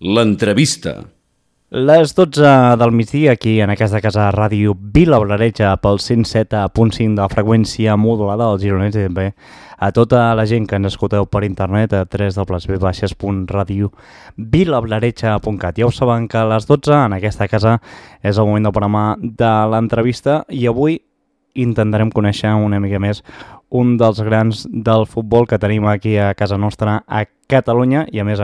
L'entrevista. Les 12 del migdia aquí en aquesta casa ràdio Vila Blareja pel 107.5 de la freqüència modulada als gironets i també a tota la gent que ens escolteu per internet a www.radiobvilablareja.cat. Ja ho saben que a les 12 en aquesta casa és el moment del programa de l'entrevista i avui intentarem conèixer una mica més un dels grans del futbol que tenim aquí a casa nostra a Catalunya i a més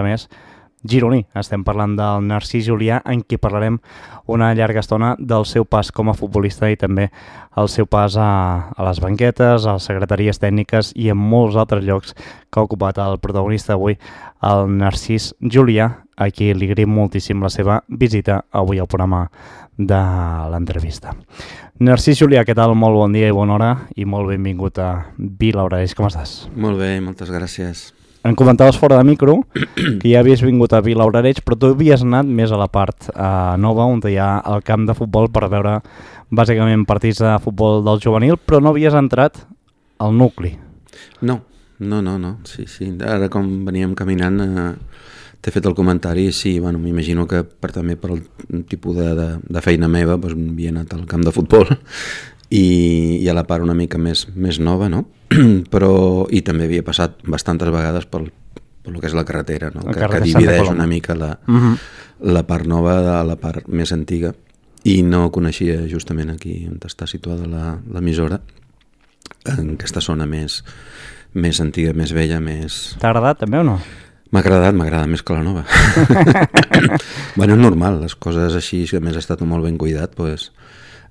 gironí. Estem parlant del Narcís Julià, en qui parlarem una llarga estona del seu pas com a futbolista i també el seu pas a les banquetes, a les secretaries tècniques i en molts altres llocs que ha ocupat el protagonista avui, el Narcís Julià, a qui li agraïm moltíssim la seva visita avui al programa de l'entrevista. Narcís Julià, què tal? Molt bon dia i bona hora i molt benvingut a Vila Blareja. Com estàs? Molt bé, moltes gràcies. Em comentaves fora de micro que ja havies vingut a Vila Blareja, però tu havies anat més a la part nova, on hi ha el camp de futbol per veure bàsicament partits de futbol del juvenil, però no havies entrat al nucli. No. Sí. Ara com veníem caminant t'he fet el comentari, sí, bueno, m'imagino que també per el tipus de feina meva doncs, havia anat al camp de futbol i a la part una mica més nova, no? Però i també havia passat bastantes vegades pel que és la carretera, no? Que divideix una mica la part nova de la part més antiga i no coneixia justament aquí on està situada l'emissora, en aquesta zona més antiga, més vella, més... T'ha agradat també o no? M'agrada més que la nova. Bueno, és normal, les coses així, que a més ha estat molt ben cuidat, doncs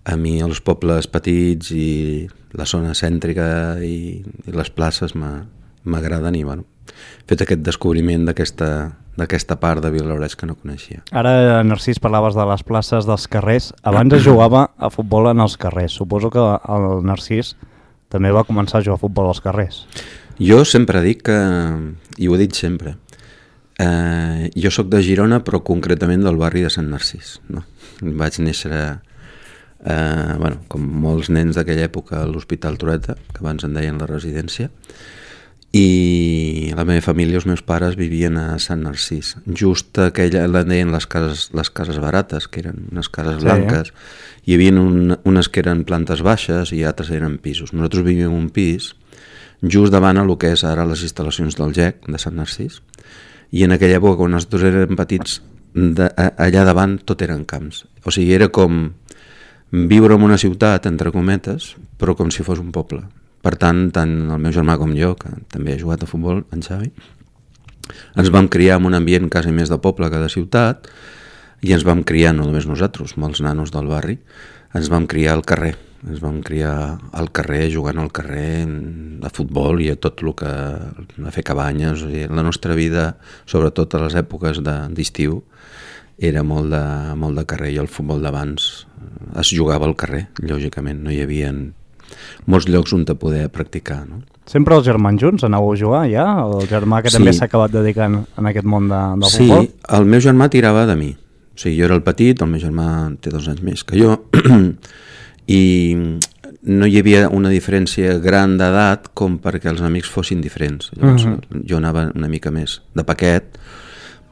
a mi els pobles petits i la zona cèntrica i les places m'agraden i bueno, he fet aquest descobriment d'aquesta part de Vila Blareja que no coneixia. Ara, Narcís, parlaves de les places dels carrers. Abans es jugava a futbol en els carrers. Suposo que el Narcís també va començar a jugar a futbol als carrers. Jo sempre dic que, i ho he dit sempre, jo sóc de Girona però concretament del barri de Sant Narcís, no? Vaig néixer com molts nens d'aquella època a l'Hospital Trueta, que abans en deien la residència, i la meva família, els meus pares vivien a Sant Narcís, just aquella, la deien les cases barates, que eren unes cases blanques, hi havia unes que eren plantes baixes i altres eren pisos. Nosaltres vivíem en un pis just davant el que és ara les instal·lacions del GEC de Sant Narcís, i en aquella època quan nosaltres érem petits allà davant tot eren camps, o sigui era com viure en una ciutat, entre cometes, però com si fos un poble. Per tant el meu germà com jo, que també ha jugat a futbol, en Xavi, ens vam criar en un ambient quasi més de poble que de ciutat i ens vam criar, no només nosaltres, molts nanos del barri, ens vam criar al carrer. Ens vam criar al carrer, jugant al carrer, a futbol i a tot el que... a fer cabanyes. O sigui, la nostra vida, sobretot a les èpoques d'estiu, era molt de carrer i el futbol d'abans es jugava al carrer, lògicament, no hi havia molts llocs on te poder practicar, no? Sempre els germans junts anàveu a jugar ja? El germà que també s'ha acabat dedicant en aquest món del futbol? Sí, el meu germà tirava de mi, o sigui, jo era el petit, el meu germà té 2 anys més que jo i no hi havia una diferència gran d'edat com perquè els amics fossin diferents. Llavors, jo anava una mica més de paquet,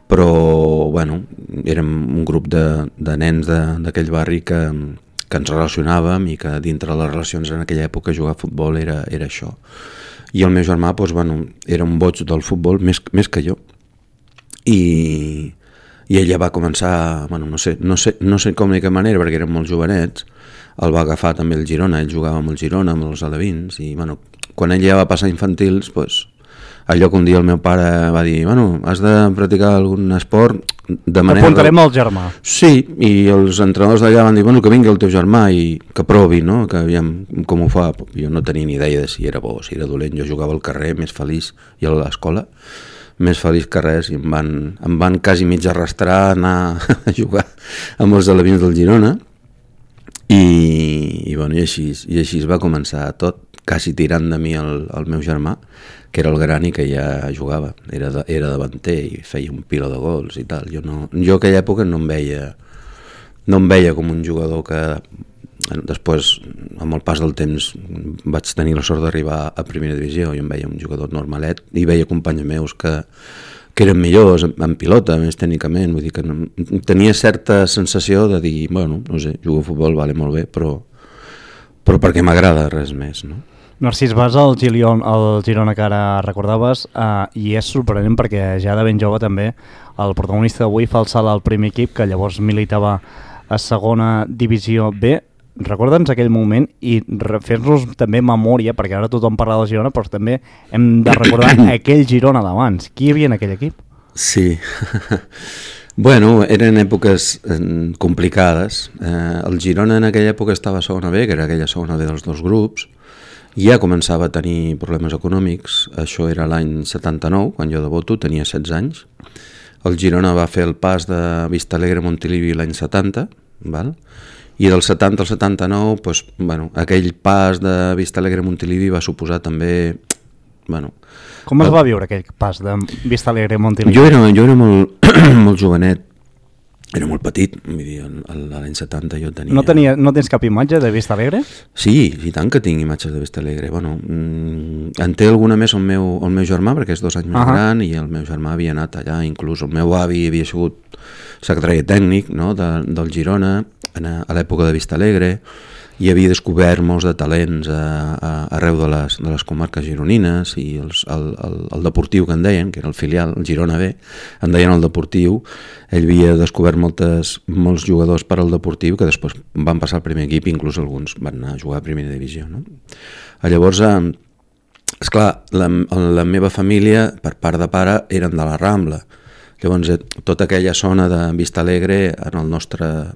però bueno, érem un grup de nens d'aquell barri que ens relacionàvem i que dintre les relacions en aquella època jugar a futbol era això. I el meu germà doncs, bueno, era un boig del futbol més que jo i ella va començar, bueno, no sé com ni que manera perquè érem molt jovenets, el va agafar també el Girona, ell jugava amb el Girona, amb els alevins i bueno, quan ell ja va passar a infantils doncs, allò que un dia el meu pare va dir, bueno, has de practicar algun esport de manera... Apuntarem al germà. Sí, i els entrenadors d'allà van dir, bueno, que vingui el teu germà i que provi, no? Que aviam com ho fa. Jo no tenia ni idea de si era bo o si era dolent, jo jugava al carrer més feliç i a l'escola més feliç que res i em van quasi mig arrastrar a anar a jugar amb els alevins del Girona i així es va començar tot, quasi tirant de mi el meu germà, que era el gran i que ja jugava, era davanter i feia un pila de gols i tal. Jo a aquella època no em veia com un jugador que després, amb el pas del temps, vaig tenir la sort d'arribar a primera divisió i em veia un jugador normalet i veia companys meus que que eren millors en pilota, més tècnicament, vull dir que no, tenia certa sensació de dir, bueno, no sé, jugo a futbol, vale, molt bé, però perquè m'agrada, res més, no? Narcís, vas al Girona que ara recordaves i és sorprenent perquè ja de ben jove també el protagonista d'avui fa el salt al primer equip, que llavors militava a segona divisió B. Recorda'ns aquell moment i fer-nos també memòria, perquè ara tothom parla del Girona, però també hem de recordar aquell Girona d'abans. Qui hi havia en aquell equip? Sí, bueno, eren èpoques complicades. El Girona en aquella època estava a segona B, que era aquella segona B dels dos grups, ja començava a tenir problemes econòmics. Això era l'any 79, quan jo debuto, tenia 16 anys. El Girona va fer el pas de Vistalegre a Montilivi l'any 70, val? I del 70 al 79, doncs, bueno, aquell pas de Vistalegre a Montilivi va suposar també... Bueno, com es va viure aquell pas de Vistalegre a Montilivi? Jo era molt, molt jovenet, era molt petit, vull dir, l'any 70 jo tenia... No tens cap imatge de Vistalegre? Sí, i tant que tinc imatges de Vistalegre. Bueno, en té alguna més el meu germà, perquè és 2 anys més gran, i el meu germà havia anat allà, inclús el meu avi havia sigut secretari tècnic, no?, del Girona, a l'època de Vistalegre, i havia descobert molts de talents arreu de les comarques gironines, i el Deportiu, que en deien, que era el filial, el Girona B, en deien el Deportiu. Ell havia descobert molts jugadors per al Deportiu que després van passar al primer equip, inclús alguns van anar a jugar a primera divisió, no? Llavors, esclar, la meva família, per part de pare, eren de la Rambla. Llavors, tota aquella zona de Vistalegre en el nostre...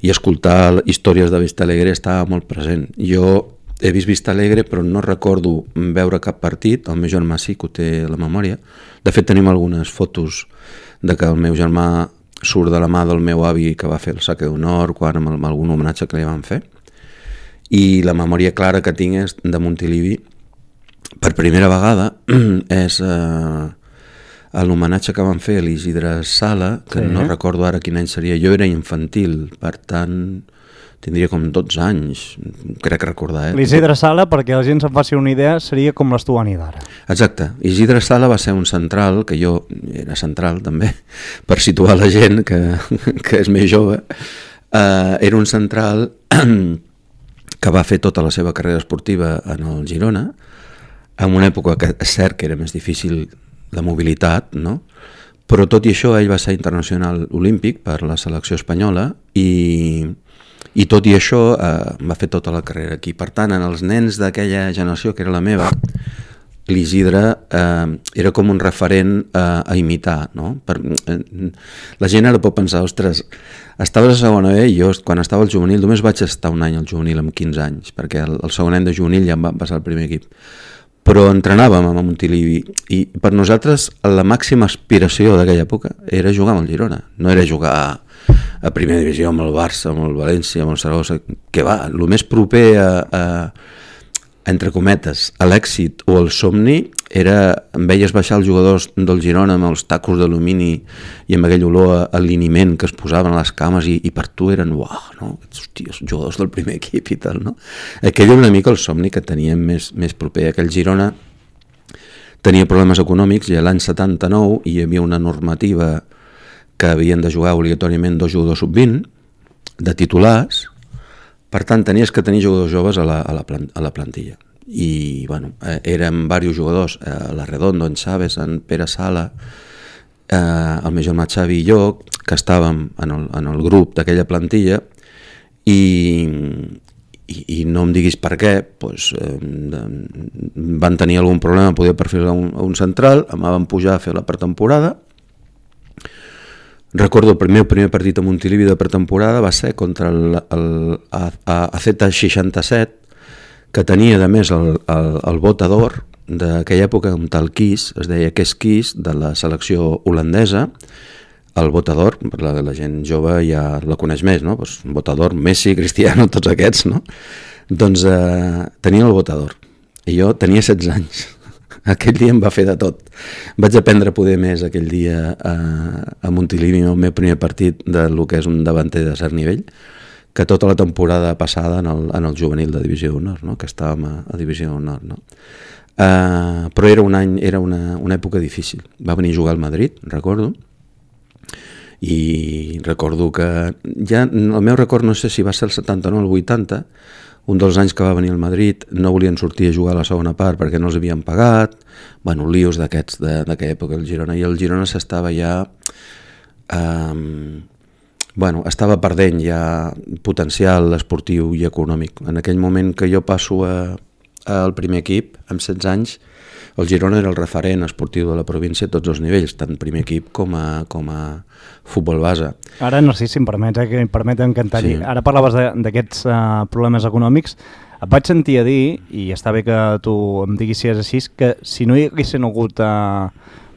i escoltar històries de Vistalegre estava molt present. Jo he vist Vistalegre, però no recordo veure cap partit. El meu germà sí que ho té a la memòria. De fet, tenim algunes fotos de que el meu germà surt de la mà del meu avi que va fer el saque d'honor, quan amb algun homenatge que li van fer. I la memòria clara que tinc és de Montilivi. Per primera vegada és... l'homenatge que van fer a l'Isidre Sala, que no recordo ara quin any seria, jo era infantil, per tant tindria com 12 anys, crec recordar. L'Isidre Sala, perquè la gent se'n faci una idea, seria com l'Estuani d'ara. Exacte, Isidre Sala va ser un central, que jo era central també, per situar la gent que és més jove. Era un central que va fer tota la seva carrera esportiva en el Girona, en una època que és cert que era més difícil de mobilitat, no? Però tot i això ell va ser internacional olímpic per la selecció espanyola i tot i això va fer tota la carrera aquí. Per tant, en els nens d'aquella generació, que era la meva, l'Isidre era com un referent a imitar, no? La gent ara pot pensar, ostres, estaves a segona B i jo quan estava al juvenil només vaig estar un any al juvenil amb 15 anys, perquè el segon any de juvenil ja em va passar al primer equip. Però entrenàvem a Montilivi i per nosaltres la màxima aspiració d'aquella època era jugar amb el Girona, no era jugar a primera divisió amb el Barça, amb el València, amb el Saragossa, que va, el més proper entre cometes, a l'èxit o al somni era, em veies baixar els jugadors del Girona amb els tacos d'alumini i amb aquell olor a liniment que es posaven a les cames i per tu eren, uau, no? Hòstia, jugadors del primer equip i tal, no? Aquell era una mica el somni que teníem més proper. Aquell Girona tenia problemes econòmics i l'any 79 hi havia una normativa que havien de jugar obligatòriament 2 jugadors sub-20 de titulars. Per tant, tenies que tenir jugadors joves a la plantilla. I, bueno, érem diversos jugadors, l'Arredondo, en Chaves, en Pere Sala, el meu germà Xavi i jo, que estàvem en el grup d'aquella plantilla i no em diguis per què, doncs, van tenir algun problema, poder perfilar un central, em van pujar a fer la pretemporada. Recordo el meu primer partit a Montilivi de pretemporada va ser contra el AZ67, que tenia a més el votador d'aquella època, un tal Kies, es deia Kees Kies, de la selecció holandesa. El votador, la gent jove ja la coneix més, no? Pues, votador, Messi, Cristiano, tots aquests, no? Doncs tenia el votador i jo tenia 16 anys. Aquell dia em va fer de tot. Vaig aprendre a poder més aquell dia a Montilivi, el meu primer partit del que és un davanter de cert nivell, que tota la temporada passada en el juvenil de Divisió d'Honor, no? Que estàvem a Divisió d'Honor. No? Però era una època difícil. Va venir a jugar al Madrid, recordo, i recordo que ja el meu record no sé si va ser el 79 o el 80, un dels anys que va venir al Madrid no volien sortir a jugar a la segona part perquè no els havien pagat, bueno, líos d'aquests d'aquella època el Girona, i el Girona s'estava ja estava perdent ja potencial esportiu i econòmic. En aquell moment que jo passo al primer equip, amb 16 anys, el Girona era el referent esportiu de la província a tots els nivells, tant primer equip com a futbol base. Ara, Narcís, si em permets, que em permeten cantar-hi. Sí. Ara parlaves d'aquests problemes econòmics. Et vaig sentir a dir, i està bé que tu em diguis si és així, que si no hi haguessin hagut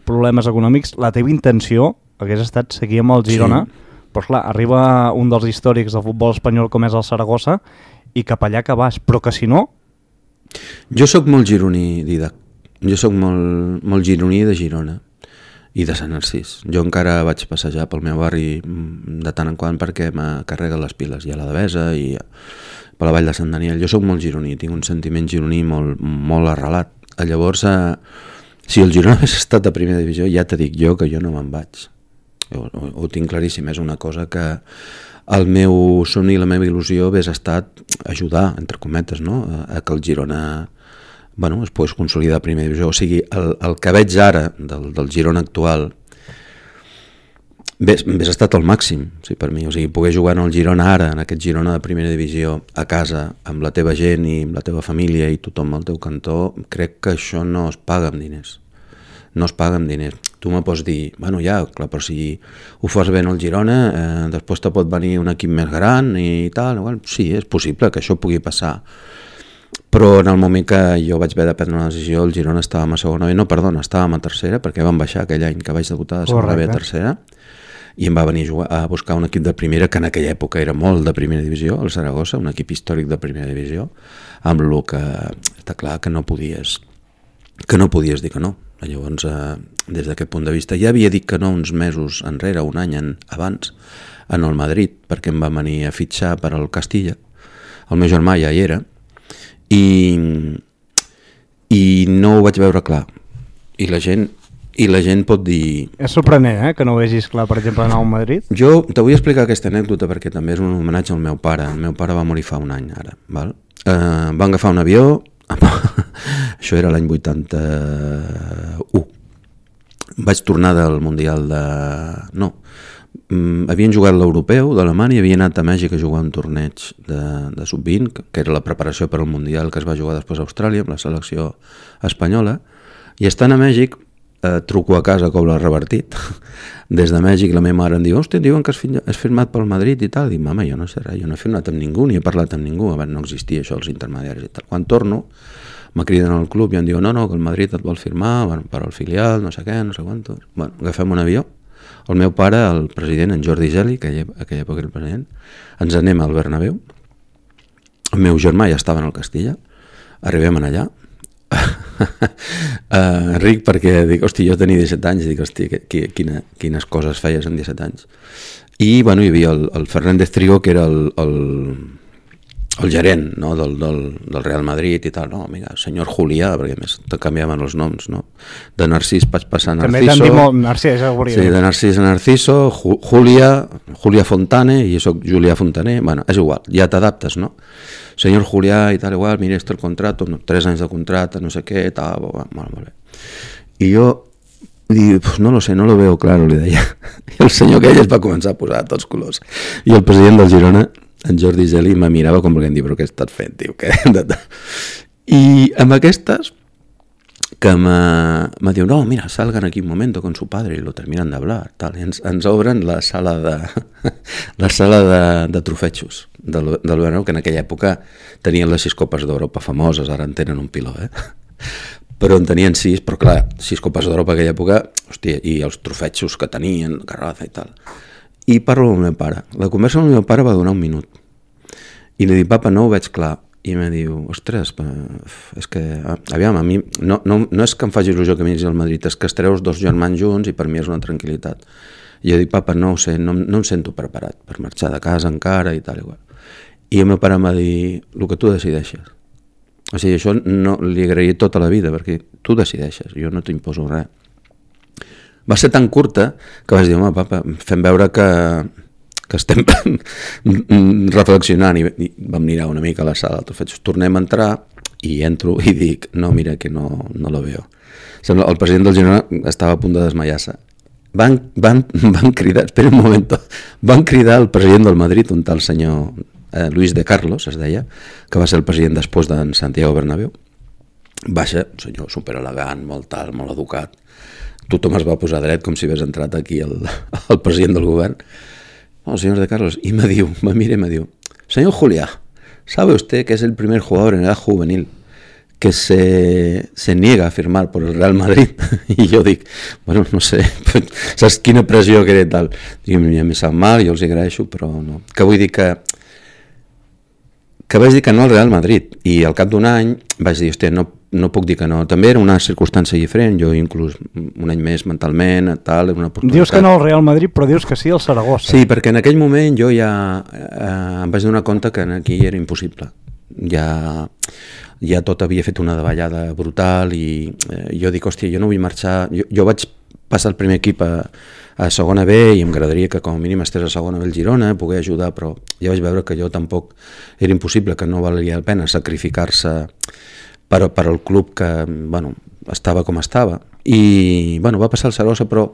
problemes econòmics, la teva intenció hagués estat seguir amb el Girona, però clar, arriba un dels històrics del futbol espanyol com és el Saragossa, i cap allà que vas, però que si no... Jo sóc molt gironí, Didac. Jo sóc molt gironí de Girona i de Sant Narcís. Jo encara vaig passejar pel meu barri de tant en quant perquè me carreguen les piles, i a la Devesa i per la Vall de Sant Daniel. Jo sóc molt gironí, tinc un sentiment gironí molt arrelat. Llavors, si el Girona hagués estat a primera divisió, ja te dic jo que jo no me'n vaig. Ho tinc claríssim, és una cosa que el meu somni i la meva il·lusió hagués estat ajudar, entre cometes, no? A que el Girona es pogués consolidar a primera divisió. O sigui, el que veig ara del Girona actual hagués estat el màxim, sí, per mi. O sigui, poder jugar en el Girona ara, en aquest Girona de primera divisió, a casa, amb la teva gent i amb la teva família i tothom al teu cantó, crec que això no es paga amb diners. No es paga amb diners. Tu me pots dir, clar, però si ho fas bé en el Girona, després te pot venir un equip més gran i tal. Sí, és possible que això pugui passar. Però en el moment que jo vaig haver de prendre una decisió, el Girona estàvem a segona B, estàvem a tercera, perquè vam baixar aquell any que vaig debutar de segona B a tercera, i em va venir a buscar un equip de primera, que en aquella època era molt de primera divisió, el Saragossa, un equip històric de primera divisió, amb el que està clar que no podies dir que no. Llavors, des d'aquest punt de vista, ja havia dit que no uns mesos enrere, un any abans, en el Madrid, perquè em va venir a fitxar per al Castilla. El meu germà ja hi era, i no ho vaig veure clar. I la gent pot dir... És sorprenent, que no ho vegis clar, per exemple, anar al Madrid? Jo te vull explicar aquesta anècdota perquè també és un homenatge al meu pare. El meu pare va morir fa un any, ara. Val? Van agafar un avió... Això era l'any 81. Vaig tornar del Mundial de... No, havien jugat l'Europeu d'Alemanya i havien anat a Mèxic a jugar un torneig de sub-20, que era la preparació per al Mundial que es va jugar després a Austràlia amb la selecció espanyola, i estant a Mèxic truco a casa com l'ha revertit. Des de Mèxic la meva mare em diu, hòstia, diuen que has firmat pel Madrid i tal. Dic, mama, jo no sé res, jo no he firmat amb ningú ni he parlat amb ningú, abans no existia això, els intermediaris i tal. Quan torno, me criden al club i em diuen, no, que el Madrid et vol firmar per al filial, no sé què, no sé quantos. Agafem un avió, el meu pare, el president, en Jordi Geli, que aquella època era el president, ens anem al Bernabéu, el meu germà ja estava en el Castilla, arribem allà, ric perquè dic, hosti, jo tenia 17 anys, dic, hosti, quines coses feies amb 17 anys. I hi havia el Fernández Trigo, que era el gerent, no, del Real Madrid i tal, no, mira, senyor Julià, perquè més te canviaven els noms, no? De Narcís vaig passar a Narciso. També t'han dit molt Narcís, sí, de Narcís a Narciso, Julià Fontane, i jo soc Julià Fontaner, és igual, ja t'adaptes, no? Senyor Julià i tal, igual, mira, el contrato, 3 anys de contrato, no sé què, tal, molt bé. I jo dic, no lo sé, no lo veo claro, li deia. I el senyor aquell es va començar a posar a tots colors. I el president del Girona, en Jordi Geli, me mirava com volent dir, però què estàs fent, tio? I amb aquestes, que me diu, no, mira, salgan aquí un momento con su padre y lo terminan de hablar, tal. I ens obren la sala de trofetxos del Bernabéu, que en aquella època tenien les 6 Copes d'Europa famoses, ara en tenen un piló, però en tenien 6, però clar, 6 Copes d'Europa en aquella època, hòstia, i els trofetxos que tenien, Garraza i tal. I parlo amb el meu pare. La conversa amb el meu pare va durar un minut. I li dic, papa, no ho veig clar. I em diu, ostres, és que, aviam, a mi, no és que em faci il·lusió que vinguis al Madrid, és que estreus 2 germans junts i per mi és una tranquil·litat. I jo dic, papa, no ho sé, no em sento preparat per marxar de casa encara i tal igual. I el meu pare em va dir, el que tu decideixes. O sigui, això no li agrairia tota la vida, perquè tu decideixes, jo no t'imposo res. Va ser tan curta que vaig dir, home, papa, fem veure que estem reflexionant, i vam mirar una mica a la sala, tornem a entrar i entro i dic, no, mira, que no lo veo. El president del Girona estava a punt de desmaiar-se. Van cridar, espera un moment, van cridar el president del Madrid, un tal senyor Luis de Carlos, es deia, que va ser el president després d'en Santiago Bernabéu. Baixa, un senyor superelegant, molt alt, molt educat. Tothom es va posar dret com si hagués entrat aquí el president del govern. El señor de Carlos, y me mira y me diu, señor Juliá, ¿sabe usted que es el primer jugador en edad juvenil que se niega a firmar por el Real Madrid? I jo dic, bueno, no sé, saps quina pressió que era tal? Dic, em sap mal, jo els agraeixo, però no. Que vull dir que vaig dir que no al Real Madrid, i al cap d'un any vaig dir, hòstia, no puc dir que no. També era una circumstància diferent, jo inclús un any més mentalment, tal, una oportunitat. Dius que no al Real Madrid, però dius que sí al Saragossa. Sí, perquè en aquell moment jo ja em vaig donar compte que aquí era impossible. Ja tot havia fet una davallada brutal i jo dic, hòstia, jo no vull marxar. Jo vaig passar el primer equip a segona B i em agradaria que com a mínim estés a segona B el Girona, poder ajudar, però ja vaig veure que jo tampoc era impossible, que no valia la pena sacrificar-se per al club que, bueno, estava com estava. I, bueno, va passar el Saragossa, però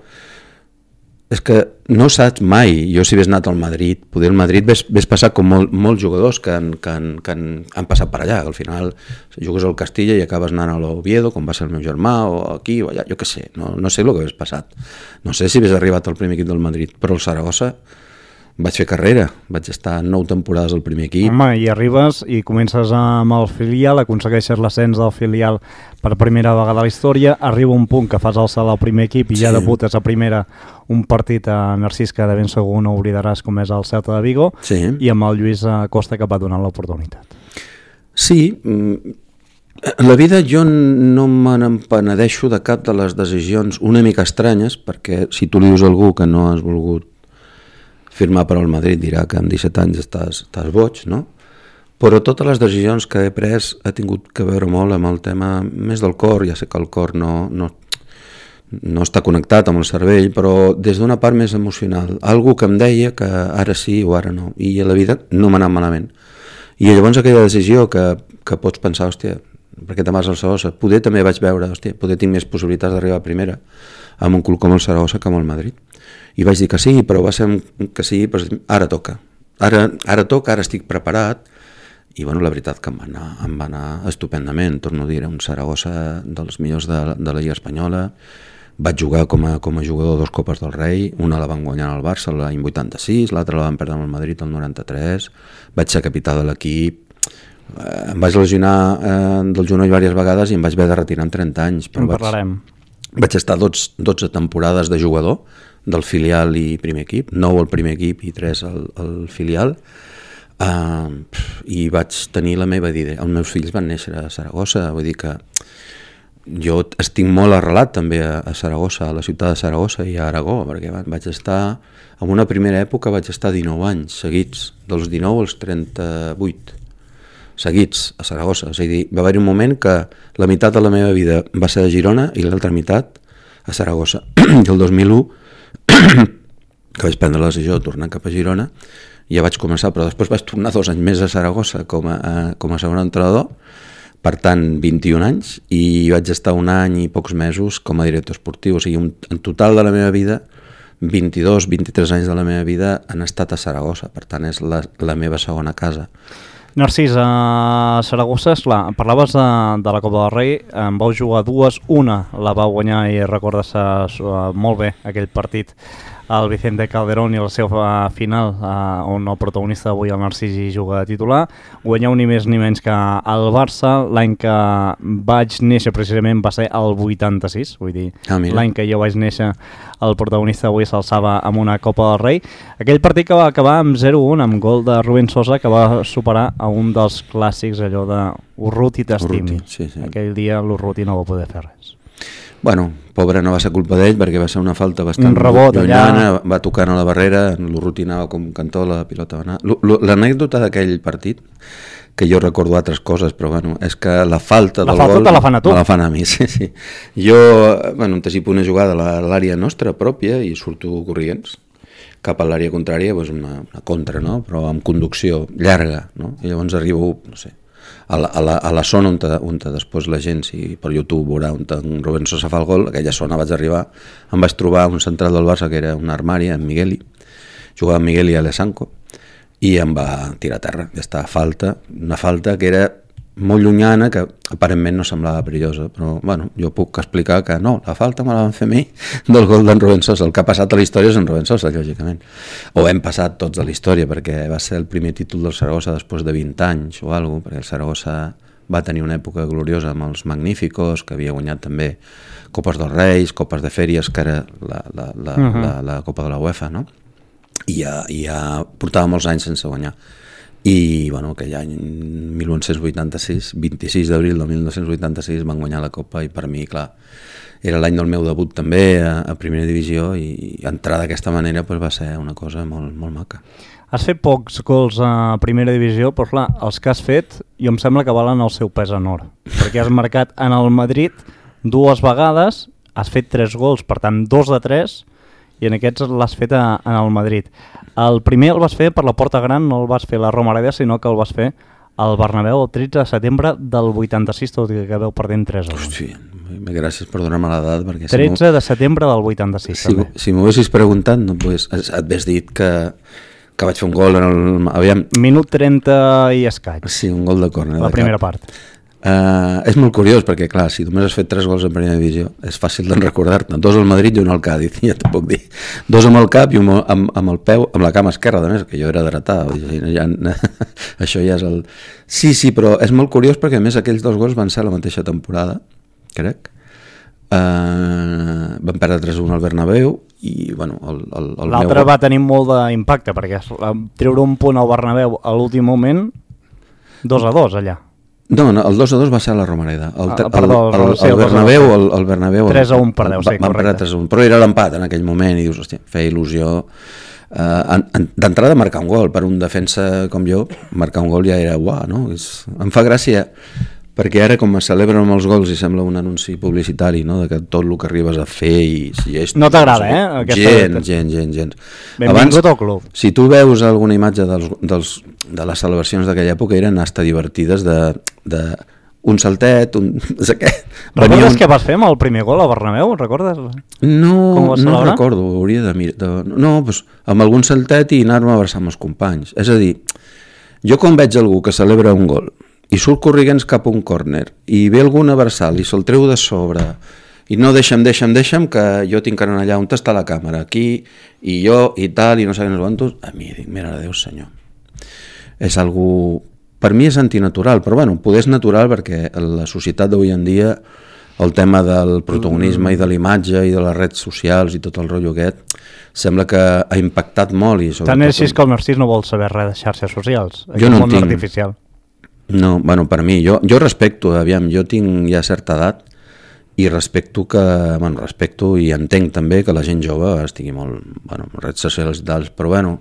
és que no saps mai, jo si hagués anat al Madrid, poder al Madrid ves passar com molts jugadors que han passat per allà, al final jugues al Castilla i acabes anant a l'Oviedo, com va ser el meu germà, o aquí o allà, jo què sé, no sé el que hagués passat. No sé si hagués arribat al primer equip del Madrid, però el Saragossa vaig fer carrera, vaig estar 9 temporades al primer equip. Home, i arribes i comences amb el filial, aconsegueixes l'ascens del filial per primera vegada a la història, arriba un punt que fas el salt al primer equip i ja debutes a primera un partit a Narcís que de ben segur no oblidaràs, com és el Celta de Vigo, i amb el Lluís Costa que va donar l'oportunitat. Sí, en la vida jo no me n'empenedeixo de cap de les decisions una mica estranyes, perquè si tu li dius a algú que no has volgut firmar per al Madrid dirà que amb 17 anys estàs boig, no? Però totes les decisions que he pres ha tingut que veure molt amb el tema més del cor. Ja sé que el cor no està connectat amb el cervell, però des d'una part més emocional. Algú que em deia que ara sí o ara no, i a la vida no m'ha anat malament. I llavors aquella decisió que pots pensar, hòstia, perquè te'n vas al Saragossa, poder també vaig veure, hòstia, poder tinc més possibilitats d'arribar a primera amb un club com el Saragossa que amb el Madrid. I vaig dir que sí, però va ser que sí, però ara toca. Ara toca, ara estic preparat. I bueno, la veritat que em va anar estupendament, torno a dir, era un Saragossa dels millors de la Lliga Espanyola. Vaig jugar com a jugador 2 Copes del Rei, una la van guanyar al Barça l'any 86, l'altra la van perdre amb el Madrid el 93, vaig ser capità de l'equip, em vaig lesionar del genoll diverses vegades i em vaig haver de retirar amb 30 anys. Però parlarem. Vaig estar 12 temporades de jugador del filial i primer equip, 9 al primer equip i 3 al filial, i vaig tenir la meva vida. Els meus fills van néixer a Saragossa, vull dir que jo estic molt arrelat també a Saragossa, a la ciutat de Saragossa i a Aragó, perquè vaig estar, en una primera època vaig estar 19 anys seguits, dels 19 als 38 seguits a Saragossa. És a dir, va haver un moment que la meitat de la meva vida va ser a Girona i l'altra meitat a Saragossa. I el 2001 que vaig prendre la decisió de tornar cap a Girona, ja vaig començar, però després vaig tornar 2 anys més a Saragossa com a segon entrenador, per tant 21 anys, i vaig estar 1 any i pocs mesos com a director esportiu. O sigui, en total de la meva vida 22-23 anys de la meva vida han estat a Saragossa, per tant és la meva segona casa. Narcís, a Saragossa, esclar, parlaves de la Copa del Rei, en vau jugar 2, una la va guanyar i recordes molt bé aquell partit el Vicente Calderón i el seu final, on el protagonista d'avui, el Narcís, hi juga de titular. Guanyeu ni més ni menys que el Barça. L'any que vaig néixer precisament va ser el 86, vull dir, l'any que jo vaig néixer el protagonista d'avui s'alçava amb una Copa del Rei. Aquell partit que va acabar amb 0-1, amb gol de Rubén Sosa, que va superar a un dels clàssics, allò de Urruti t'estimi. Sí. Aquell dia l'Urruti no va poder fer res. Bueno, pobre, no va ser culpa d'ell perquè va ser una falta bastant rebot llunyana, va tocar a la barrera, l'Urruti anava com cantó, la pilota va anar. L'anècdota d'aquell partit que jo recordo altres coses, però bueno, és que la falta del gol... La falta te la fan a tu. Me la fan a mi, sí. Jo, bueno, anticipo una jugada a l'àrea nostra pròpia i surto corrients cap a l'àrea contrària, doncs una contra, no? Però amb conducció llarga, no? I llavors arribo, no sé, a la zona on després la gent, si per YouTube veurà on en Rubén Sosa fa el gol, aquella zona vaig arribar, em vaig trobar un central del Barça que era un armari, en Migueli, jugava amb Migueli a l'Esanco, i em va tirar a terra. Ja està, una falta que era molt llunyana, que aparentment no semblava perillosa, però bueno, jo puc explicar que no, la falta me la van fer a mi del gol d'en Rubén Sosa. El que ha passat a la història és en Rubén Sosa, lògicament. O hem passat tots a la història, perquè va ser el primer títol del Saragossa després de 20 anys o alguna cosa, perquè el Saragossa va tenir una època gloriosa amb els Magníficos, que havia guanyat també Copes dels Reis, Copes de Fèries, que era la Copa de la UEFA, no? I ja portava molts anys sense guanyar. I bueno, aquell any 1986, 26 d'abril del 1986 van guanyar la Copa i per mi, clar, era l'any del meu debut també a primera divisió i entrar d'aquesta manera pues, va ser una cosa molt, molt maca. Has fet pocs gols a primera divisió, però clar, els que has fet jo em sembla que valen el seu pes en or, perquè has marcat en el Madrid 2 vegades, has fet 3 gols, per tant 2 de 3, i en aquests l'has fet en el Madrid. El primer el vas fer per la Porta Gran, no el vas fer a la Romareda, sinó que el vas fer al Bernabéu el 13 de setembre del 86, tot i que veu perdent 3-1. Hòstia, gràcies per donar-me l'edat. 13 de setembre del 86. Si m'ho haguessis preguntat, no, pues, et hagués dit que vaig fer un gol en el... Aviam. Minut 30 i escaig. Sí, un gol de córner. La primera part. És molt curiós perquè, clar, si només has fet 3 gols en primera divisió, és fàcil de recordar-te. 2 al Madrid i 1 al Cádiz, ja t'ho puc dir. 2 amb el cap i 1 amb el peu, amb la cama esquerra, a més, que jo era dretà. Això ja és el... Sí, però és molt curiós perquè, a més, aquells 2 gols van ser la mateixa temporada, crec. Van perdre 3-1 al Bernabéu i, bueno, l'altre va tenir molt d'impacte perquè treure un punt al Bernabéu a l'últim moment 2-2 allà. No, el 2-2 va ser a la Romareda. El Bernabéu 3-1 perdeu, sí, correcte. 3-1, però era l'empat en aquell moment i dius, hòstia, feia il·lusió d'entrada marcar un gol per un defensa com jo, marcar un gol ja era uah, no? Em fa gràcia perquè ara com es celebren amb els gols i sembla un anunci publicitari, no? De que tot el que arribes a fer i si és... No t'agrada, Gens. Benvingut al club. Si tu veus alguna imatge de les celebracions d'aquella època eren hasta divertides de un saltet, Recordes què vas fer amb el primer gol a Bernabéu? Recordes? No recordo, hauria de mirar. No, doncs amb algun saltet i anar-me a abraçar amb els companys. És a dir, jo quan veig algú que celebra un gol i surt corriguents cap a un córner i ve algun abraçal i se'l treu de sobre i no deixa'm que jo tinc que anar allà on està la càmera, aquí i jo i tal i no sé quantos, a mi dic, mare de Déu senyor, és algú, per mi és antinatural, però bueno, poder és natural perquè la societat d'avui en dia el tema del protagonisme i de l'imatge i de les redes socials i tot el rotllo aquest sembla que ha impactat molt i tant és així que el Narcís no vol saber res de xarxes socials, jo no món artificial. No, bueno, per mi, jo respecto, aviam, jo tinc ja certa edat i respecto i entenc també que la gent jove estigui molt, bueno, en redes socials i tals, però bueno,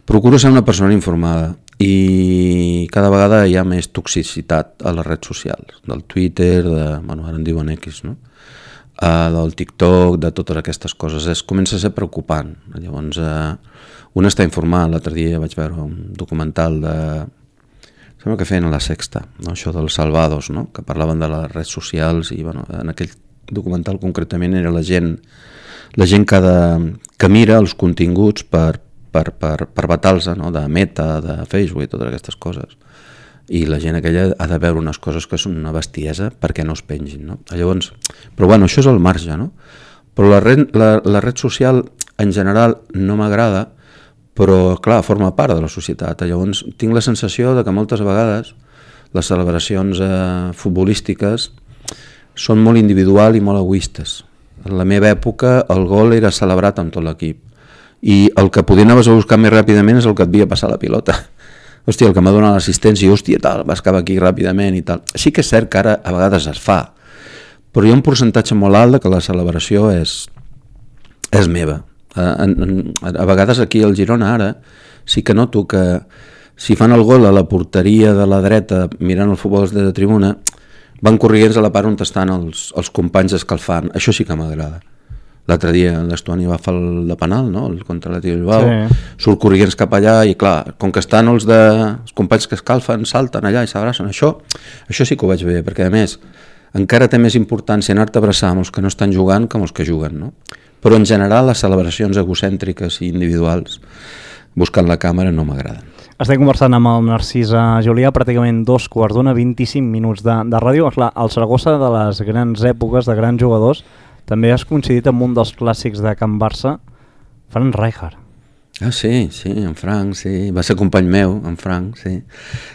procuro ser una persona informada i cada vegada hi ha més toxicitat a les redes socials, del Twitter, bueno, ara en diuen X, no? Del TikTok, de totes aquestes coses, comença a ser preocupant. Llavors, un està informat, l'altre dia vaig veure un documental sembla que feien a la Sexta, no? Això dels salvados, no? Que parlaven de les redes socials i bueno, en aquell documental concretament era la gent que mira els continguts per vetar-los, no? De Meta, de Facebook i totes aquestes coses. I la gent aquella ha de veure unes coses que són una bestiesa perquè no es pengin, no? Llavors, però bueno, això és el marge, no? Però la red social en general no m'agrada, però clar, forma part de la societat. Llavors tinc la sensació de que moltes vegades les celebracions futbolístiques són molt individual i molt egoistes. En la meva època el gol era celebrat amb tot l'equip i el que podia anaves a buscar més ràpidament és el que et havia passat la pilota. Hòstia, el que m'ha donat l'assistència, hòstia, tal, vas cap aquí ràpidament i tal. Sí que és cert que ara a vegades es fa, però hi ha un percentatge molt alt de que la celebració és meva. A vegades aquí al Girona ara sí que noto que si fan el gol a la porteria de la dreta mirant el futbol des de tribuna, van corrients a la part on estan els companys escalfant. Això sí que m'agrada. L'altre dia l'Estuani va fer el de penal, no? El contra l'Atlètic Bilbao, sí. Surt corrients cap allà i clar, com que estan els companys que escalfen, salten allà i s'abracen. Això sí que ho veig bé, perquè a més encara té més importància anar-te a abraçar amb els que no estan jugant que amb els que juguen, no? Però en general les celebracions egocèntriques i individuals buscant la càmera no m'agraden. Estem conversant amb el Narcís Julià, pràcticament 2:15, 25 minuts de ràdio. Clar, el Saragossa de les grans èpoques, de grans jugadors, també has coincidit amb un dels clàssics de Can Barça, Frank Rijkaard. Ah, sí, en Frank, sí. Va ser company meu, en Frank, sí.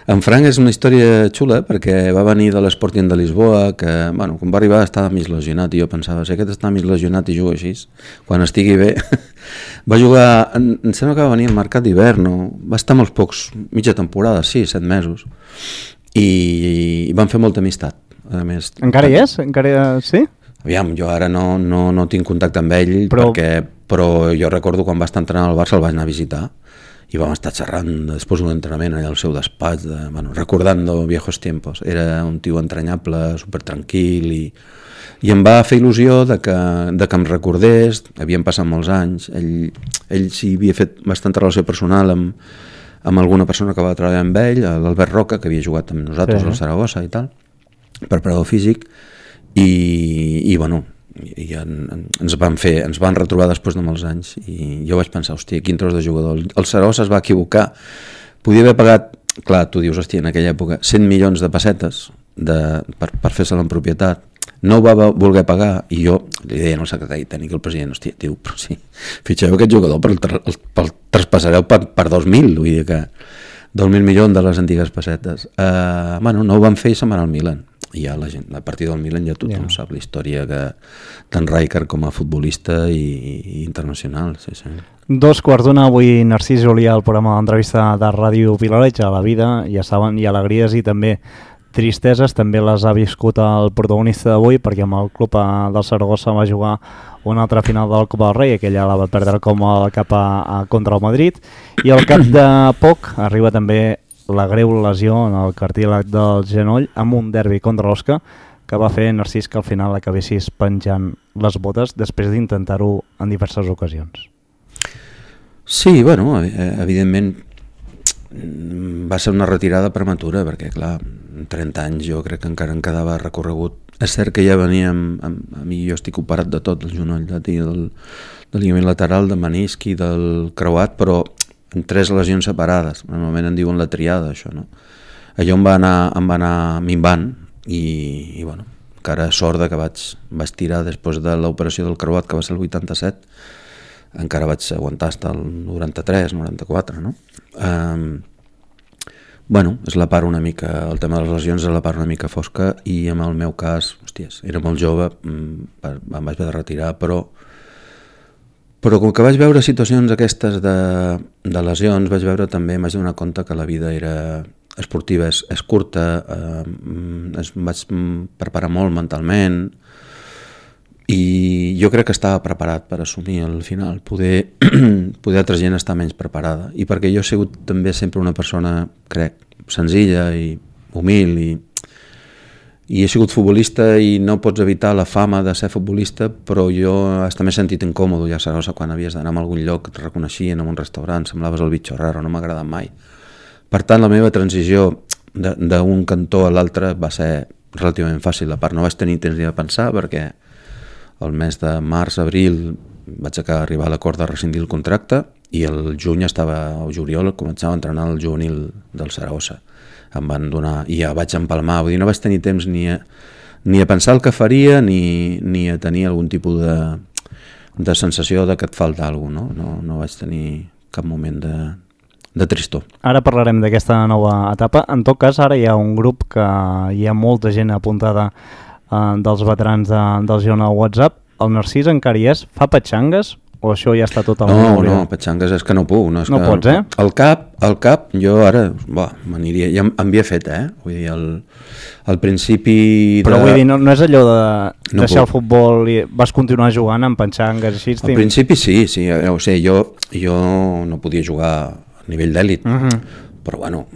En Frank és una història xula perquè va venir de l'Sporting de Lisboa, que, bueno, quan va arribar estava mig lesionat i jo pensava, si aquest està mig lesionat i juga així, quan estigui bé... Va jugar, em sembla que va venir al mercat d'hivern, va estar molts pocs, mitja temporada, 7 mesos, i van fer molta amistat. A més, encara hi és? Encara sí? Aviam, jo ara no tinc contacte amb ell, però jo recordo quan va estar entrenant al Barça el vaig anar a visitar i vam estar xerrant després d'un entrenament allà al seu despatx, recordando viejos tiempos. Era un tio entranyable, supertranquil i em va fer il·lusió de que em recordés. Havien passat molts anys, ell sí havia fet bastanta relació personal amb alguna persona que va treballar amb ell, l'Albert Roca, que havia jugat amb nosaltres al Saragossa i tal, per preparador físic, i bueno, ens van retrobar després de molts anys i jo vaig pensar, hòstia, quin tros de jugador. El Saragossa es va equivocar, podia haver pagat, clar, tu dius, hòstia, en aquella època 100 milions de pessetes per fer-se'l en propietat, no ho va voler pagar i jo li deia al secretari tècnic, el president, hòstia, tio, però sí, fitxeu aquest jugador, el traspassareu per 2.000, vull dir que 2.000 milions de les antigues pessetes. Bueno, no ho van fer i se'n van al Milan. I ja la gent, a partir del Milan ja tothom sap la història d'en Rijkaard com a futbolista i internacional. Sí. 2:15 avui Narcís Julià al programa d'entrevista de Ràdio Vilareig. A la vida ja saben, hi ha alegries i també tristeses, també les ha viscut el protagonista d'avui perquè amb el club del Saragossa va jugar una altra final del Copa del Rei, aquella la va perdre com el cap contra el Madrid, i al cap de poc arriba també la greu lesió en el cartílag del genoll amb un derbi contra l'Osca que va fer Narcís que al final acabessis penjant les botes després d'intentar-ho en diverses ocasions. Sí, bueno, evidentment va ser una retirada prematura perquè, clar, 30 anys jo crec que encara em quedava recorregut. És cert que ja veníem, a mi jo estic operat de tot, el genoll, del lligament lateral, de menisc i del creuat, però en 3 lesions separades, normalment en diuen la triada, això, no? Allò em va anar minvant i bueno, encara sort que vaig tirar després de l'operació del creuat, que va ser el 87, encara vaig aguantar fins al 93, 94, no? Bueno, és la part una mica, el tema de les lesions és la part una mica fosca i en el meu cas, hòsties, era molt jove, em vaig haver de retirar, però com que vaig veure situacions aquestes de lesions, vaig veure també, m'haig de donar compte que la vida esportiva és curta, em vaig preparar molt mentalment i jo crec que estava preparat per assumir al final, poder altra gent estar menys preparada, i perquè jo he sigut també sempre una persona, crec, senzilla i humil i he sigut futbolista i no pots evitar la fama de ser futbolista, però jo hasta m'he sentit incòmode ja a Saragossa quan havies d'anar a algun lloc, et reconeixien en un restaurant, semblaves el bitxo raro, no m'ha agradat mai. Per tant, la meva transició d'un cantó a l'altre va ser relativament fàcil, a part no vaig tenir temps ni de pensar perquè el mes de març, abril vaig arribar a l'acord de rescindir el contracte i el juny o juliol començava a entrenar el juvenil del Saragossa. Em van donar, i ja vaig empalmar, vull dir, no vaig tenir temps ni a pensar el que faria ni a tenir algun tipus de sensació de que et falta alguna cosa, no vaig tenir cap moment de tristor. Ara parlarem d'aquesta nova etapa. En tot cas, ara hi ha un grup que hi ha molta gent apuntada dels veterans del Girona al WhatsApp. El Narcís encara hi és? Fa petxangues? O això ja està totalment oblidat? No, petxangues és que no puc. No pots, eh? El cap, jo ara m'aniria, ja em havia fet, Vull dir, al principi... Però vull dir, no és allò de deixar el futbol i vas continuar jugant amb petxangues així? Al principi sí, o sigui, jo no podia jugar a nivell d'èlit, però bueno,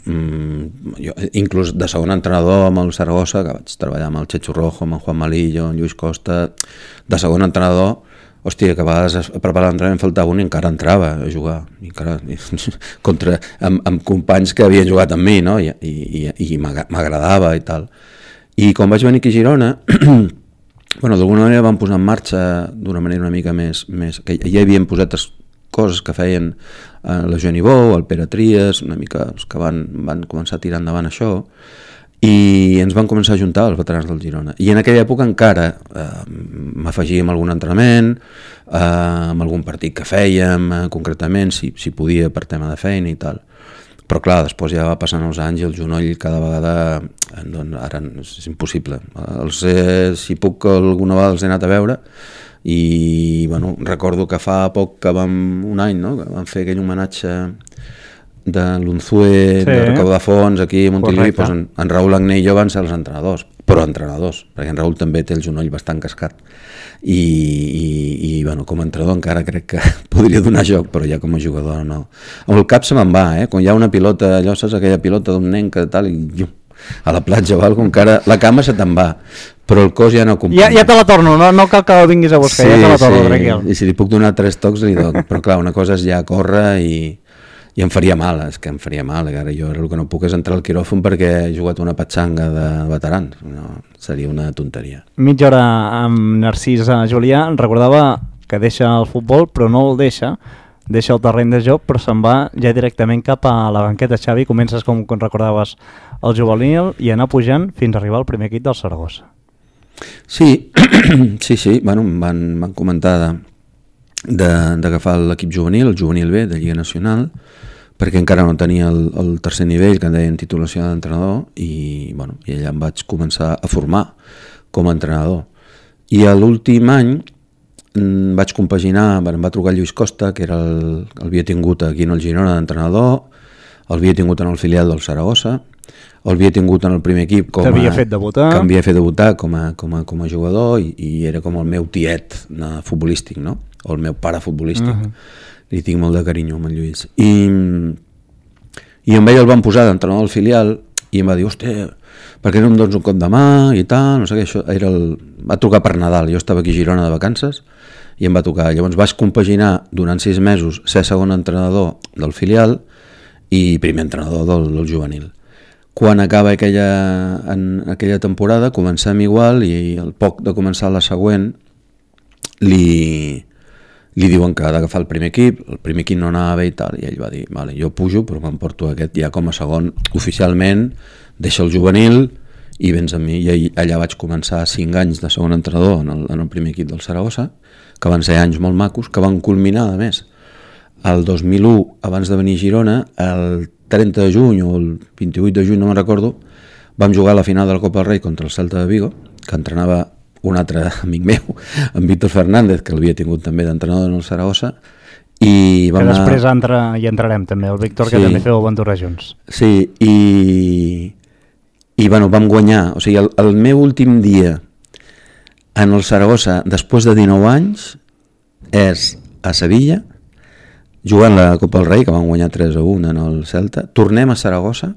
jo, inclús de segon entrenador amb el Saragossa, que vaig treballar amb el Chechu Rojo, amb en Juan Malillo, en Lluís Costa, de segon entrenador, hòstia, que a vegades a preparar l'entrenament faltava un i encara entrava a jugar, amb companys que havien jugat amb mi, no? I m'agradava i tal. I quan vaig venir aquí a Girona, bueno, d'alguna manera vam posar en marxa d'una manera una mica més que ja hi havien posat coses que feien la Joan Ibou, el Pere Trias, una mica els que van començar a tirar endavant això, i ens van començar a juntar els veterans del Girona. I en aquella època encara m'afegia amb algun entrenament, amb algun partit que fèiem, concretament, si podia per tema de feina i tal. Però clar, després ja va passant els anys i el genoll cada vegada, doncs ara és impossible. Si puc alguna vegada els he anat a veure, i bueno, recordo que fa poc que un any, no? Que vam fer aquell homenatge de l'Unzue, de recau de fons aquí a Montilivi, doncs en Raül Agné i jo van ser els entrenadors, però entrenadors, perquè en Raül també té el genoll bastant cascat i bueno, com a entrenador encara crec que podria donar joc, però ja com a jugador no. Amb el cap se me'n va, quan hi ha una pilota, allò saps aquella pilota d'un nen que tal i a la platja o alguna cosa, encara la cama se te'n va, però el cos ja no acompanya. Ja te la torno, no cal que la vinguis a buscar, ja te la torno, tranquil. I si li puc donar 3 tocs li dono, però clar, una cosa és ja córrer i em faria mal, és que em faria mal, ara jo el que no puc és entrar al quiròfan perquè he jugat una patxanga de veterans, no, seria una tonteria. Mitja hora amb Narcís Julià, recordava que deixa el futbol, però no el deixa el terreny de joc, però se'n va ja directament cap a la banqueta. Xavi, comences com recordaves el juvenil i anar pujant fins a arribar al primer equip del Saragossa. Sí, bueno, em van comentar d'agafar l'equip juvenil, el juvenil B de Lliga Nacional, perquè encara no tenia el tercer nivell que en deien titulació d'entrenador i allà em vaig començar a formar com a entrenador. I a l'últim any vaig compaginar, em va trucar Lluís Costa, que havia tingut aquí en el Girona d'entrenador, el havia tingut en el filial del Saragossa, el havia tingut en el primer equip que m'havia fet debutar com a jugador i era com el meu tiet futbolístic, no? O el meu pare futbolístic. Li tinc molt de carinyo amb en Lluís. I amb ell el van posar d'entrenador al filial i em va dir, hòstia, per què no em dones un cop de mà i tal, no sé què, això va trucar per Nadal, jo estava aquí a Girona de vacances i em va tocar, llavors vaig compaginar durant 6 mesos ser segon entrenador del filial i primer entrenador del juvenil. Quan acaba aquella temporada comencem igual i al poc de començar la següent li diuen que ha d'agafar el primer equip no anava bé i tal, i ell va dir, vale, jo pujo però m'emporto aquest ja com a segon oficialment, deixa el juvenil i vens amb mi, i allà vaig començar 5 anys de segon entrenador en el primer equip del Saragossa, que van ser anys molt macos, que van culminar a més el 2001, abans de venir a Girona, el 30 de juny o el 28 de juny, no me'n recordo, vam jugar a la final de la Copa del Rei contra el Celta de Vigo, que entrenava un altre amic meu, en Víctor Fernández, que l'havia tingut també d'entrenador en el Saragossa, i que després hi entrarem també, el Víctor, que també feu aventura junts. Sí, i bueno, vam guanyar, o sigui, el meu últim dia en el Saragossa, després de 19 anys, és a Sevilla, jugant la Copa del Rei, que vam guanyar 3-1 en el Celta, tornem a Saragossa,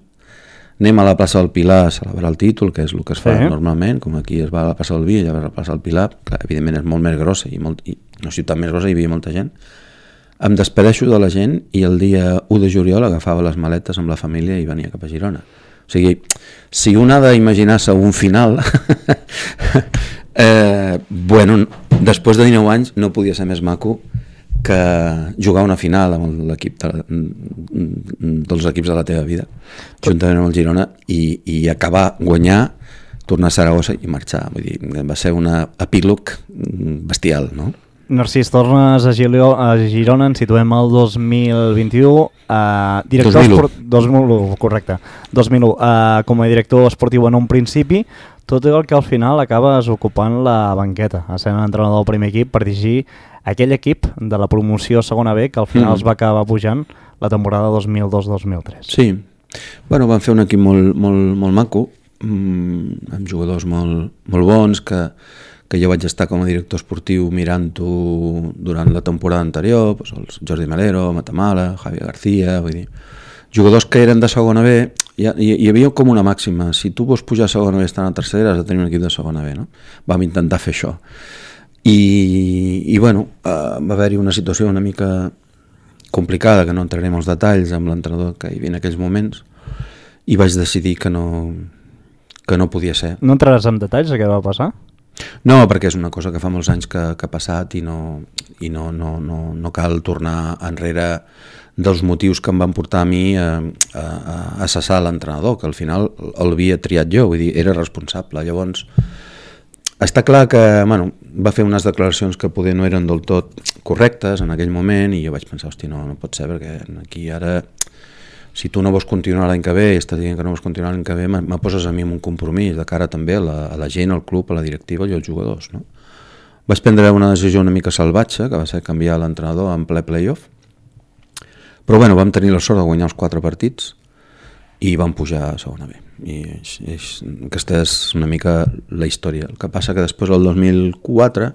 anem a la plaça del Pilar a celebrar el títol, que és el que es fa normalment, com aquí es va a la plaça del Vi, allà va a la plaça del Pilar, clar, evidentment és molt més grossa i una ciutat més grossa, hi havia molta gent. Em despedeixo de la gent i el dia 1 de juliol agafava les maletes amb la família i venia cap a Girona. O sigui, si un ha d'imaginar-se un final, bueno, després de 19 anys no podia ser més maco que jugar una final amb l'equip dels equips de la teva vida, juntament amb el Girona, i acabar, guanyar, tornar a Saragossa i marxar. Vull dir, va ser un epílog bestial, no? Narcís, tornes a Girona, ens situem al 2021, director 2001, correcte, 2001, com a director esportiu en un principi, tot i el que al final acabes ocupant la banqueta, sent entrenador del primer equip per dirigir aquell equip de la promoció segona B que al final es va acabar pujant la temporada 2002-2003. Sí, bueno, van fer un equip molt maco, amb jugadors molt bons que jo vaig estar com a director esportiu mirant-ho durant la temporada anterior, doncs els Jordi Melero, Matamala, Javier García, vull dir, jugadors que eren de segona B, hi havia com una màxima, si tu vols pujar a segona B estant a tercera has de tenir un equip de segona B, no? Vam intentar fer això i bueno, va haver-hi una situació una mica complicada, que no entrarem als detalls amb l'entrenador que hi havia en aquells moments, i vaig decidir que no podia ser. No entraràs en detalls de què va passar? No, perquè és una cosa que fa molts anys que ha passat i no cal tornar enrere dels motius que em van portar a mi a cessar l'entrenador, que al final l'havia triat jo, vull dir, era responsable. Llavors, està clar que va fer unes declaracions que poder no eren del tot correctes en aquell moment i jo vaig pensar, hosti, no pot ser, perquè aquí ara, si tu no vols continuar l'any que ve i estàs dient que no vols continuar l'any que ve, me poses a mi amb un compromís de cara també a la gent, al club, a la directiva i als jugadors, no? Vaig prendre una decisió una mica salvatge, que va ser canviar l'entrenador en ple playoff, però bueno, vam tenir la sort de guanyar els 4 partits i vam pujar a segona B. I aquesta és una mica la història. El que passa que després, el 2004,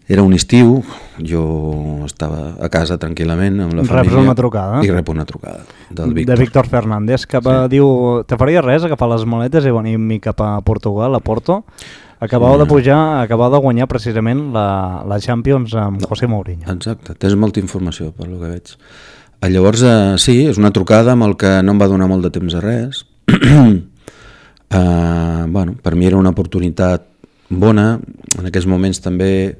era un estiu, jo estava a casa tranquil·lament amb la família. Reps una trucada. I rep una trucada del Víctor. De Víctor Fernández, que diu, te faria res agafar les maletes i venir cap a Portugal, a Porto? Acabau de pujar, acabau de guanyar precisament la Champions amb José Mourinho. Exacte, tens molta informació per lo que veig. Llavors, sí, és una trucada amb el que no em va donar molt de temps a res. Bueno, per mi era una oportunitat bona. En aquells moments també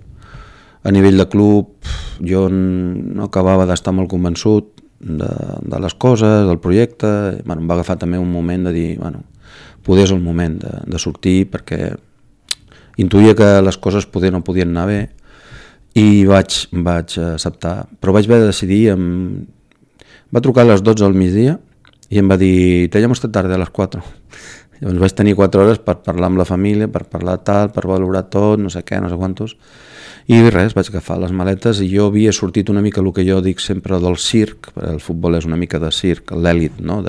a nivell de club jo no acabava d'estar molt convençut de les coses, del projecte. Bueno, em va agafar també un moment de dir, bueno, poder és el moment de sortir, perquè intuïa que les coses poder no podien anar bé i vaig acceptar, però vaig haver de decidir. Va trucar a les 12 al migdia i em va dir, te llamo esta tarde a les 4. Llavors vaig tenir 4 hores per parlar amb la família, per parlar tal, per valorar tot, no sé què, no sé quantos, i res, vaig agafar les maletes i jo havia sortit una mica el que jo dic sempre del circ, perquè el futbol és una mica de circ, l'èlit, no?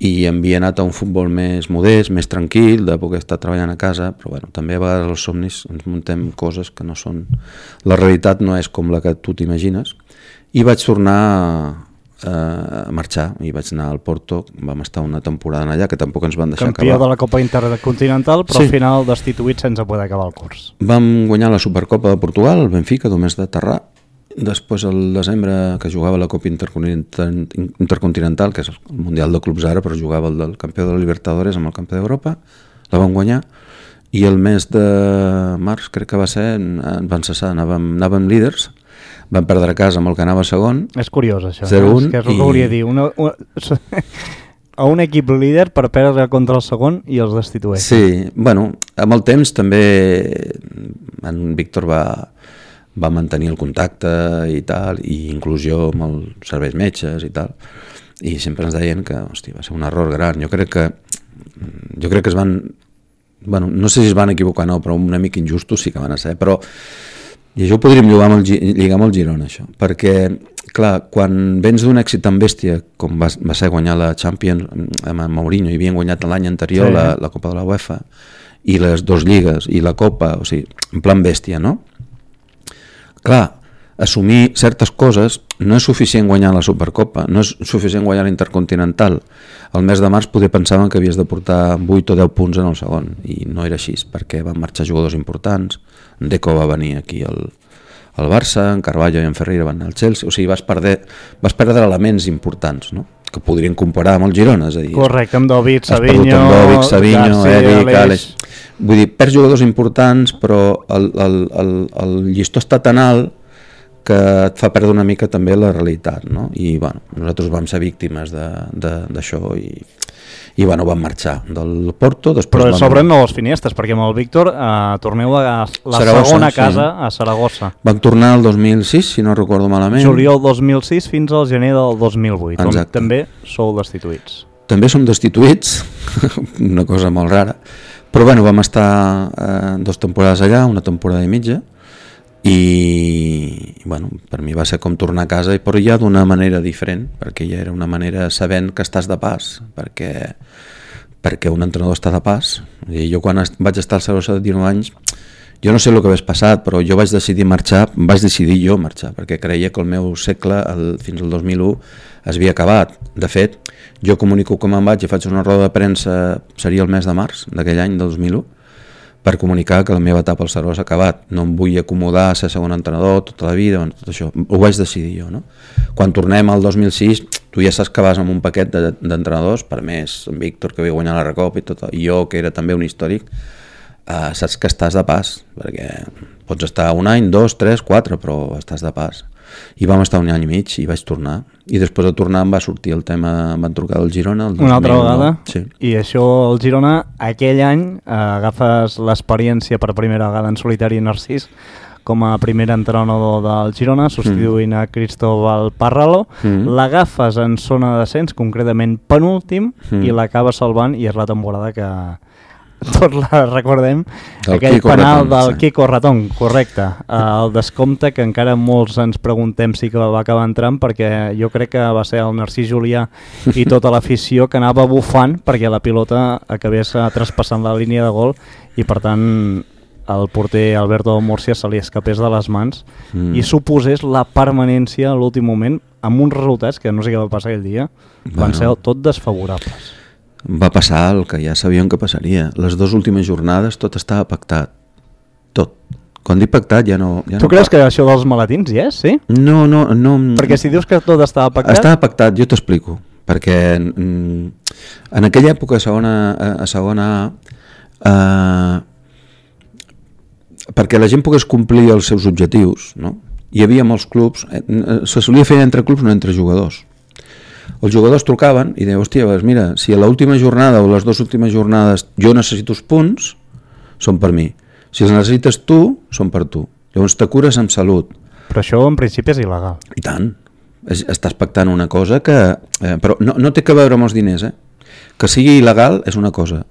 I havia anat a un futbol més modest, més tranquil, de poder estar treballant a casa, però bueno, també a vegades els somnis ens muntem coses que no són... La realitat no és com la que tu t'imagines, i vaig tornar a marxar i vaig anar al Porto. Vam estar una temporada allà que tampoc ens van deixar acabar. Campió de la Copa Intercontinental, però sí, al final destituït sense poder acabar el curs. Vam guanyar la Supercopa de Portugal, el Benfica, només d'aterrar. Després, al desembre, que jugava la Copa Intercontinental, que és el Mundial de Clubs ara, però jugava el del campió de la Libertadores amb el campió d'Europa, la vam guanyar, i el mes de març, crec que va ser, ens van cessar, anàvem líders, vam perdre a casa amb el que anava segon. És curiós això, 0-1, que és el que volia dir. A un equip líder per perdre contra el segon i els destitueix. Sí, bueno, amb el temps també en Víctor va mantenir el contacte i tal, i inclusió amb els serveis metges i tal, i sempre ens deien que, hòstia, va ser un error gran. Jo crec que es van... Bueno, no sé si es van equivocar o no, però una mica injustos sí que van ser, però i això ho podríem lligar amb el Girona, això, perquè, clar, quan vens d'un èxit tan bèstia com va ser guanyar la Champions amb Mourinho, i havien guanyat l'any anterior sí, la Copa de la UEFA i les 2 lligues i la Copa, o sigui, en plan bèstia, no? Clar, assumir certes coses no és suficient guanyar la Supercopa, no és suficient guanyar l'Intercontinental. Al mes de març poder pensaven que havies de portar 8 o 10 punts en el segon, i no era així, perquè van marxar jugadors importants. Deco va venir aquí al Barça, en Carvalho i en Ferreira van anar al Chelsea, o sigui, vas perdre elements importants, no? Que podrien comparar amb el Girona, és a dir... Correcte, amb David, Savinho, Eric, Àlex... Vull dir, perds jugadors importants, però el llistó està tan alt que et fa perdre una mica també la realitat, no? I bueno, nosaltres vam ser víctimes d'això i bueno, vam marxar del Porto. Però s'obren noves finestres, perquè amb el Víctor torneu a la segona casa, sí, a Saragossa. Vam tornar el 2006, si no recordo malament. Juliol 2006 fins al gener del 2008, exacte, on també sou destituïts. També som destituïts, una cosa molt rara, però bueno, vam estar 2 temporades allà, una temporada i mitja, i bueno, per mi va ser com tornar a casa, però ja d'una manera diferent, perquè ja era una manera sabent que estàs de pas, perquè un entrenador està de pas. I jo quan vaig estar al Saragossa de 19 anys Jo no sé el que hagués passat, però jo vaig decidir jo marxar, perquè creia que el meu segle, fins al 2001, es havia acabat. De fet, jo comunico que me'n vaig i faig una roda de premsa, seria el mes de març d'aquell any, del 2001, per comunicar que la meva etapa al Servó s'ha acabat. No em vull acomodar a ser segon entrenador tota la vida, tot això. Ho vaig decidir jo, no? Quan tornem al 2006, tu ja saps que vas amb un paquet d'entrenadors, per més en Víctor, que havia guanyat la Recopa, i jo, que era també un històric, saps que estàs de pas, perquè pots estar un any, 2, 3, 4, però estàs de pas. I vam estar un any i mig i vaig tornar. I després de tornar em va sortir el tema, em van trucar del Girona el 2000, una altra vegada, sí. I això el Girona aquell any agafes l'experiència per primera vegada en solitari Narcís com a primer entrenador del Girona, substituint a Cristóbal Parralo, l'agafes en zona de descens, concretament penúltim, i l'acaba salvant, i és la temporada que tots la recordem, aquell penal del Quico Ratón, correcte, el descompte que encara molts ens preguntem si que va acabar entrant, perquè jo crec que va ser el Narcís Julià i tota l'afició que anava bufant perquè la pilota acabés traspassant la línia de gol i per tant el porter Alberto Murcia se li escapés de les mans i suposés la permanència a l'últim moment amb uns resultats que no sé què va passar aquell dia, van ser tot desfavorables. Va passar el que ja sabíem que passaria. Les 2 últimes jornades tot estava pactat. Tot. Quan dic pactat ja no... Tu creus que això dels maletins hi és, sí? No. Perquè si dius que tot estava pactat... Estava pactat, jo t'explico. Perquè en aquella època a segona A, perquè la gent pogués complir els seus objectius, no? Hi havia molts clubs, se solia fer entre clubs, no entre jugadors. Els jugadors trucaven i deien, hòstia, mira, si a l'última jornada o les 2 últimes jornades jo necessito els punts, són per mi. Si els necessites tu, són per tu. Llavors te cures amb salut. Però això en principi és il·legal. I tant. Estàs pactant una cosa que... però no té que veure amb els diners, Que sigui il·legal és una cosa,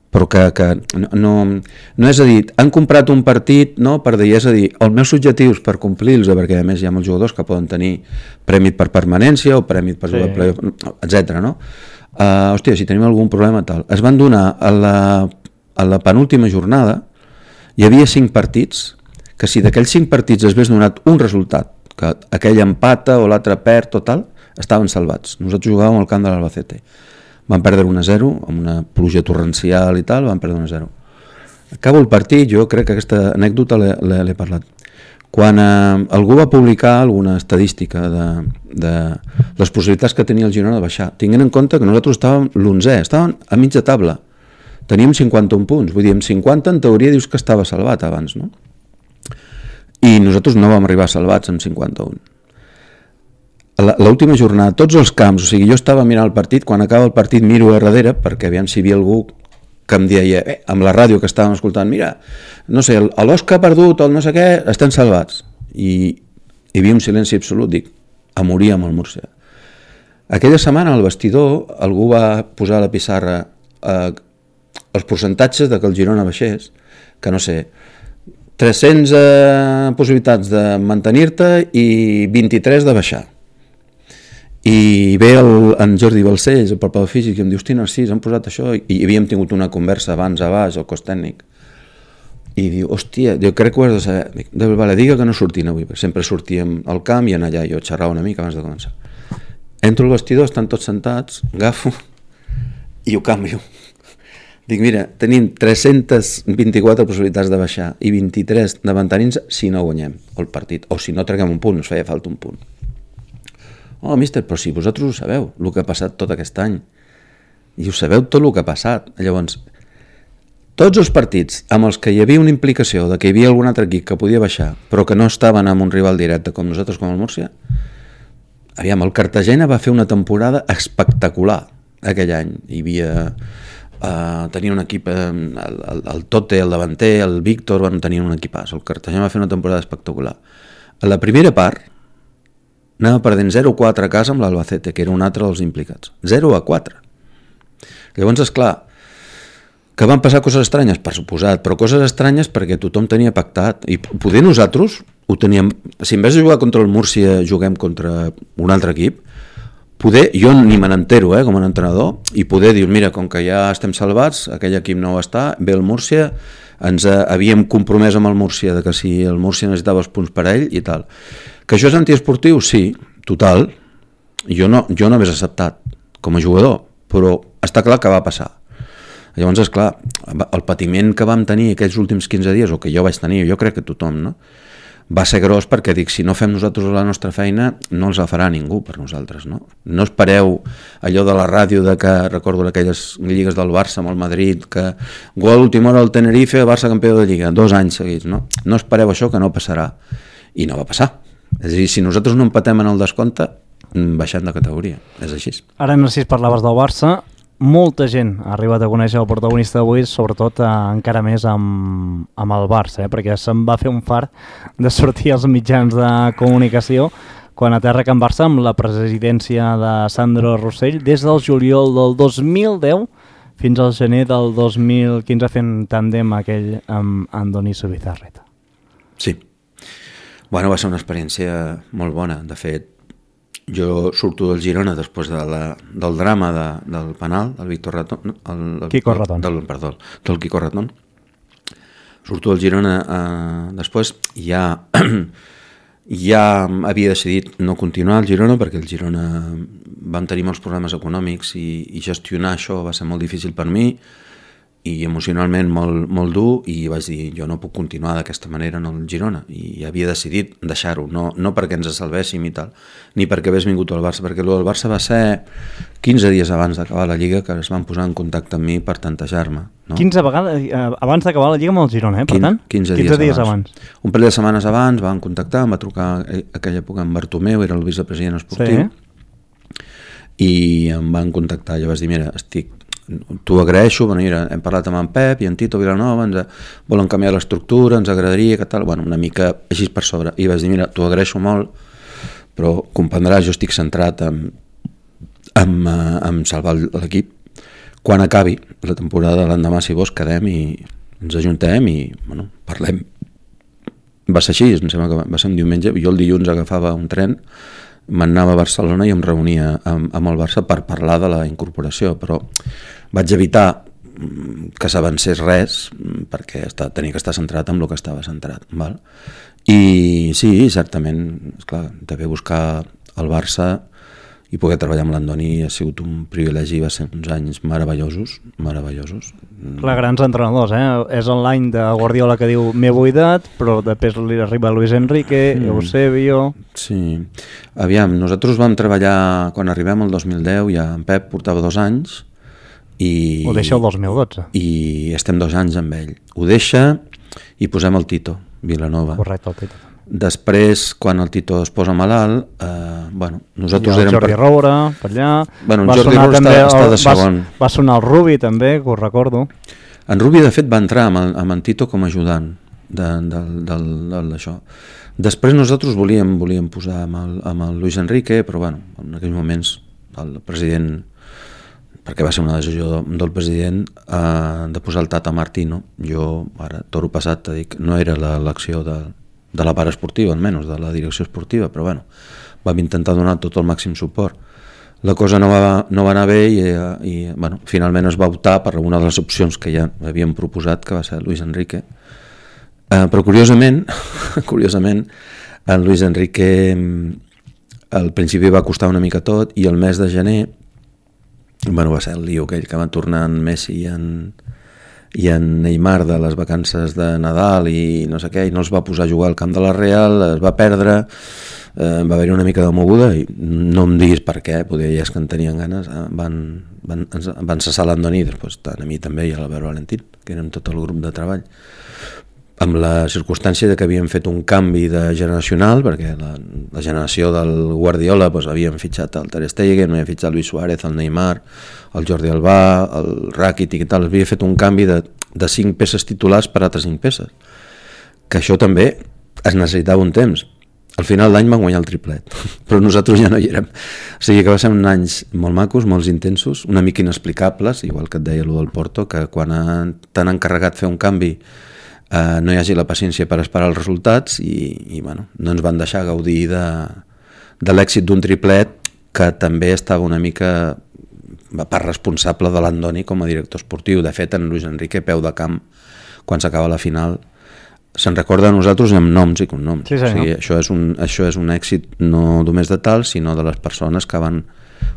però que no és a dir, han comprat un partit, no, per dir, és a dir, els meus objectius per complir-los, perquè a més hi ha molts jugadors que poden tenir prèmit per permanència o prèmit per jugar playoff, etc. No? Hòstia, si tenim algun problema tal. Es van donar a la penúltima jornada, hi havia 5 partits, que si d'aquells 5 partits es hagués donat un resultat, que aquell empata o l'altre perd o tal, estaven salvats. Nosaltres jugàvem al camp de l'Albacete. Van perdre 1-0, amb una pluja torrencial i tal, van perdre 1-0. Acabo el partit, jo crec que aquesta anècdota l'he parlat. Quan algú va publicar alguna estadística de les possibilitats que tenia el Girona de baixar, tinguent en compte que nosaltres estàvem l'11è, estàvem a mitja taula, teníem 51 punts, vull dir, amb 50 en teoria dius que estava salvat abans, no? I nosaltres no vam arribar salvats amb 51. L'última jornada, tots els camps, o sigui, jo estava mirant el partit, quan acaba el partit miro a darrere, perquè aviam si hi havia algú que em deia, amb la ràdio que estàvem escoltant, mira, no sé, l'Osca ha perdut, el no sé què, estan salvats. I hi havia un silenci absolut, dic, a morir amb el Múrcia. Aquella setmana al vestidor algú va posar a la pissarra els percentatges de que el Girona baixés, que no sé, 300 possibilitats de mantenir-te i 23 de baixar. I ve en Jordi Balcells, el preparador físic, i em diu, hosti, Narcís, han posat això, i havíem tingut una conversa abans a baix, al cos tècnic, i diu, hòstia, jo crec que ho has de saber. Dic, vale, digue que no sortim avui, perquè sempre sortíem al camp i en allà jo xerrava una mica abans de començar. Entro al vestidor, estan tots sentats, agafo i ho canvio. Dic, mira, tenim 324 possibilitats de baixar i 23 de mantenir-nos si no guanyem el partit, o si no traguem un punt, ens feia falta un punt. Oh, míster, però si vosaltres ho sabeu, el que ha passat tot aquest any, i ho sabeu tot el que ha passat. Llavors, tots els partits amb els que hi havia una implicació de que hi havia algun altre equip que podia baixar, però que no estaven amb un rival directe com nosaltres, com el Múrcia, aviam, el Cartagena va fer una temporada espectacular aquell any. Hi havia... tenia un equip, el Tote, el davanter, el Víctor, van tenir un equipàs. El Cartagena va fer una temporada espectacular. A la primera part, anava perdent 0-4 a casa amb l'Albacete, que era un altre dels implicats. 0-4. Llavors, esclar, que van passar coses estranyes, per suposat, però coses estranyes perquè tothom tenia pactat. I poder nosaltres ho teníem... Si en vez de jugar contra el Múrcia juguem contra un altre equip, poder, jo ni me n'entero com a entrenador, i poder dir, mira, com que ja estem salvats, aquell equip no ho està, ve el Múrcia, havíem compromès amb el Múrcia de que si el Múrcia necessitava els punts per ell i tal. Que això és antiesportiu? Sí, total. Jo no m'hagués acceptat com a jugador, però està clar que va passar. Llavors, esclar, el patiment que vam tenir aquells últims 15 dies, o que jo vaig tenir, jo crec que tothom, no? Va ser gros perquè dic, si no fem nosaltres la nostra feina, no els la farà ningú per nosaltres, no? No espereu allò de la ràdio de que, recordo aquelles lligues del Barça amb el Madrid, que gol última hora al Tenerife, Barça campió de Lliga, 2 anys seguits, no? No espereu això, que no passarà. I no va passar. És a dir, si nosaltres no empatem en el descompte, baixem de categoria, és així. Ara, Narcís, parlaves del Barça. Molta gent ha arribat a conèixer el protagonista d'avui, sobretot encara més amb el Barça, perquè se'n va fer un fart de sortir als mitjans de comunicació quan aterra Can Barça amb la presidència de Sandro Rossell des del juliol del 2010 fins al gener del 2015 fent tàndem aquell amb Andoni Zubizarreta. Sí. Bueno, va ser una experiència molt bona. De fet, jo surto del Girona després del drama del penal, del Víctor Ratón, Quico Ratón. Del Quico Ratón. Surto del Girona després, ja havia decidit no continuar al Girona perquè el Girona vam tenir molts problemes econòmics i gestionar això va ser molt difícil per mi i emocionalment molt dur, i vaig dir, jo no puc continuar d'aquesta manera en el Girona, i havia decidit deixar-ho, no perquè ens salvéssim i tal, ni perquè hagués vingut al Barça, perquè el Barça va ser 15 dies abans d'acabar la Lliga que es van posar en contacte amb mi per tantejar-me. No? 15 vegades abans d'acabar la Lliga amb el Girona, per tant? 15 dies abans. Un parell de setmanes abans van contactar, em va trucar aquella època en Bartomeu, era el vicepresident esportiu, i em van contactar, jo vaig dir, mira, t'ho agraeixo, mira, hem parlat amb en Pep i en Tito Vilanova, volen canviar l'estructura, ens agradaria, que tal, una mica així per sobre, i vaig dir, mira, t'ho agraeixo molt, però comprendràs, jo estic centrat en salvar l'equip. Quan acabi la temporada, l'endemà, si vols, quedem i ens ajuntem i parlem. Va ser així, em sembla que va ser un diumenge, jo el dilluns agafava un tren, m'anava a Barcelona i em reunia amb el Barça per parlar de la incorporació, però vaig evitar que s'avancés res perquè tenia que estar centrat en el que estava centrat. Val? I sí, certament, esclar, d'haver buscar el Barça i poder treballar amb l'Andoni ha sigut un privilegi, va ser uns anys meravellosos. Clar, grans entrenadors, És l'any de Guardiola que diu m'he buidat, però després li arriba Luis Enrique, Eusebio... Sí, aviam, nosaltres vam treballar, quan arribem al 2010, ja en Pep portava 2 anys, i... Ho deixa el 2012. I estem 2 anys amb ell. Ho deixa i posem el Tito Vilanova. Correcte, el Tito. Després, quan el Tito es posa malalt, nosaltres érem... Jordi Roura, per allà... En Jordi Roura està de segon. Va sonar el Rubi, també, que ho recordo. En Rubi, de fet, va entrar amb en Tito com a ajudant d'això. Després nosaltres volíem posar amb el Luis Enrique, però en aquells moments el president, perquè va ser una decisió del president, de posar el Tata Martino. Jo, ara, toro passat, t'he dit, no era l'elecció de la part esportiva, almenys, de la direcció esportiva, però vam intentar donar tot el màxim suport. La cosa no va anar bé i finalment es va optar per una de les opcions que ja havíem proposat, que va ser Luis Enrique. Però curiosament, en Luis Enrique al principi va costar una mica tot, i el mes de gener va ser el lío aquell que va tornar en Messi i en Neymar de les vacances de Nadal i no sé què, i no els va posar a jugar al camp de la Real, es va perdre, va haver-hi una mica de moguda i no em diguis per què, poder ja és que en tenien ganes, van cessar l'Andoni, després tant a mi també i a l'Albert Valentín, que érem tot el grup de treball, amb la circumstància de que havíem fet un canvi de generacional, perquè la generació del Guardiola havíem fitxat el Ter Stegen, havíem fitxat Luis Suárez, el Neymar, el Jordi Albà, el Rakitic i tal, havia fet un canvi de 5 peces titulars per altres 5 peces, que això també es necessitava un temps. Al final d'any van guanyar el triplet, però nosaltres ja no hi érem. O sigui que va ser uns anys molt macos, molt intensos, una mica inexplicables, igual que et deia allò del Porto, que quan t'han encarregat fer un canvi no hi hagi la paciència per esperar els resultats i no ens van deixar gaudir de l'èxit d'un triplet que també estava una mica per responsable de l'Andoni com a director esportiu. De fet, en Luis Enrique, peu de camp, quan s'acaba la final, se'n recorda a nosaltres amb noms i cognoms. Sí, o sigui, això és un èxit no només de tal, sinó de les persones que van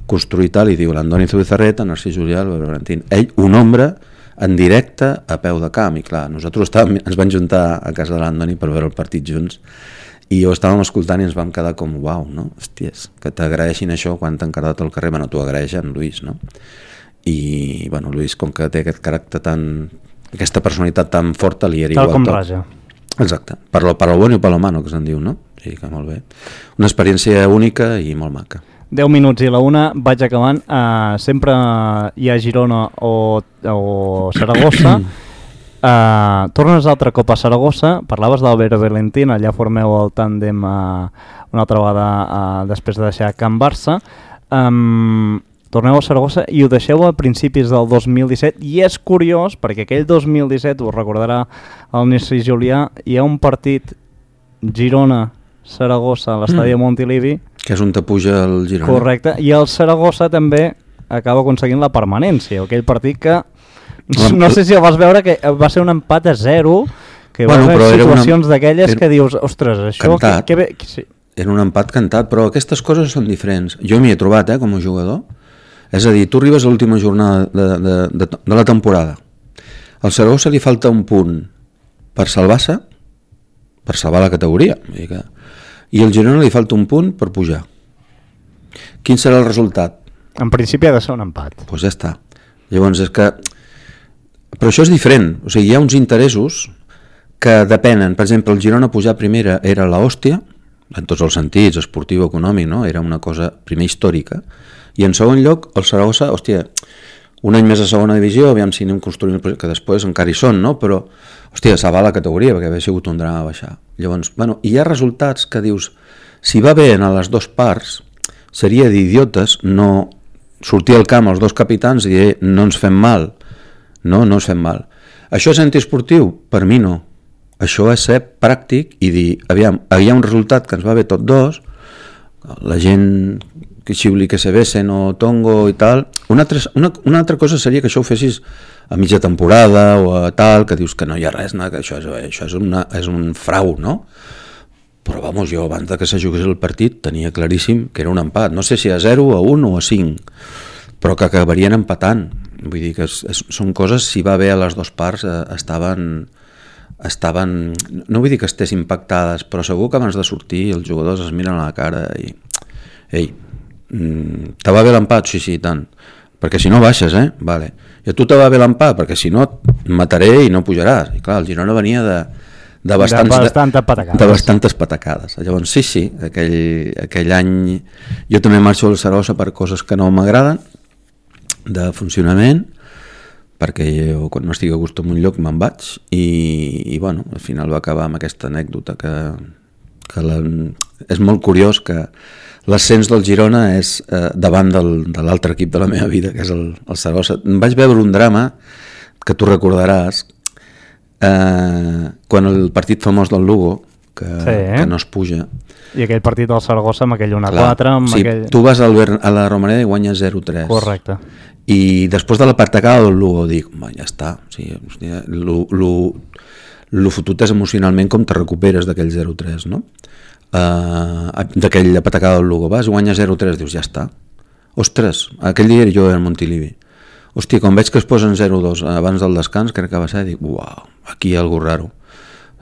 construir tal, i diu l'Andoni Zubizarreta, Narcís Julià, Albert Valentín. Ell ho nombra en directe a peu de camp, i clar, nosaltres ens vam juntar a casa de l'Andoni per veure el partit junts, i ho estàvem escoltant i ens vam quedar com uau, no? Hòsties, que t'agraeixin això quan t'han quedat al carrer. Bueno, t'ho agraeix en Luis, no? I, bueno, Luis, com que té aquest caràcter aquesta personalitat tan forta, li era igual tal com tot. raja. Exacte, per lo bueno i per lo malo, que se'n diu, no? O sigui que molt bé. Una experiència única i molt maca. 10 minuts i la una, vaig acabant. Sempre hi ha Girona o Saragossa. Tornes altre cop a Saragossa, parlaves d'Albert Valentín, allà formeu el tàndem una altra vegada després de deixar Can Barça. Torneu a Saragossa i ho deixeu a principis del 2017, i és curiós perquè aquell 2017, us recordarà el Narcís Julià, hi ha un partit Girona-Saragossa a l'estadi de Montilivi, que és on te puja el Girona. correcte, i el Saragossa també acaba aconseguint la permanència, aquell partit que no sé si el vas veure, que va ser un empat a 0, que va haver situacions d'aquelles que dius, ostres, això que bé... Sí. Era un empat cantat, però aquestes coses són diferents. Jo m'hi he trobat, com a jugador. És a dir, tu arribes a l'última jornada de la temporada. Al Saragossa li falta un punt per salvar-se, per salvar la categoria. I al Girona li falta un punt per pujar. Quin serà el resultat? En principi ha de ser un empat. Doncs ja està. Llavors és que... Però això és diferent. O sigui, hi ha uns interessos que depenen. Per exemple, el Girona pujar primera era l'hòstia, en tots els sentits, esportiu, econòmic, no? Era una cosa primer històrica. I en segon lloc, el Saragossa, hòstia, un any més a segona divisió, aviam si anem construint, que després encara hi són, no? Però, hòstia, salvar la categoria, perquè havia sigut un drama baixar. Llavors, bueno, hi ha resultats que dius, si va bé en les dues parts, seria d'idiotes no sortir al camp els dos capitans i dir, no ens fem mal. No ens fem mal. Això és antiesportiu? Per mi no. Això és ser pràctic i dir, aviam, hi ha un resultat que ens va bé tots dos, la gent que xiuli que se besen o tongo i tal. Una altra cosa seria que això ho fessis a mitja temporada o a tal, que dius que no hi ha res, no? Que això és un frau, no? Però vamos, jo abans de que se jugués el partit tenia claríssim que era un empat. No sé si a 0, a 1 o a 5, però que acabarien empatant. Vull dir que són coses, si va bé a les dues parts, estaven, no vull dir que estessin pactades, però segur que abans de sortir els jugadors es miren a la cara i ei, te va bé l'empat? Sí, tant, perquè si no baixes, vale. I a tu te va bé l'empat, perquè si no et mataré i no pujaràs. I clar, el Girona venia de bastantes patacades. Llavors sí, aquell any jo també marxo al Saragossa per coses que no m'agraden de funcionament, perquè jo quan no estic a gust en un lloc me'n vaig i bueno, al final va acabar amb aquesta anècdota que és molt curiós que l'ascens del Girona és davant de l'altre equip de la meva vida, que és el Saragossa. Vaig veure un drama que tu recordaràs quan el partit famós del Lugo que no es puja, i aquell partit del Saragossa amb aquell 1-4 amb aquell... Tu vas a la Romareda i guanyes 0-3, correcte, i després de la patacada del Lugo dic, ja està, o sigui, lo fotut és emocionalment com te recuperes d'aquell 0-3, no? D'aquella patacada del Lugo, vas, guanyes 0-3, dius, ja està. Ostres, aquell dia jo era al Montilivi, hòstia, quan veig que es posen 0-2 abans del descans, crec que va ser, dic, uau, aquí hi ha algú raro.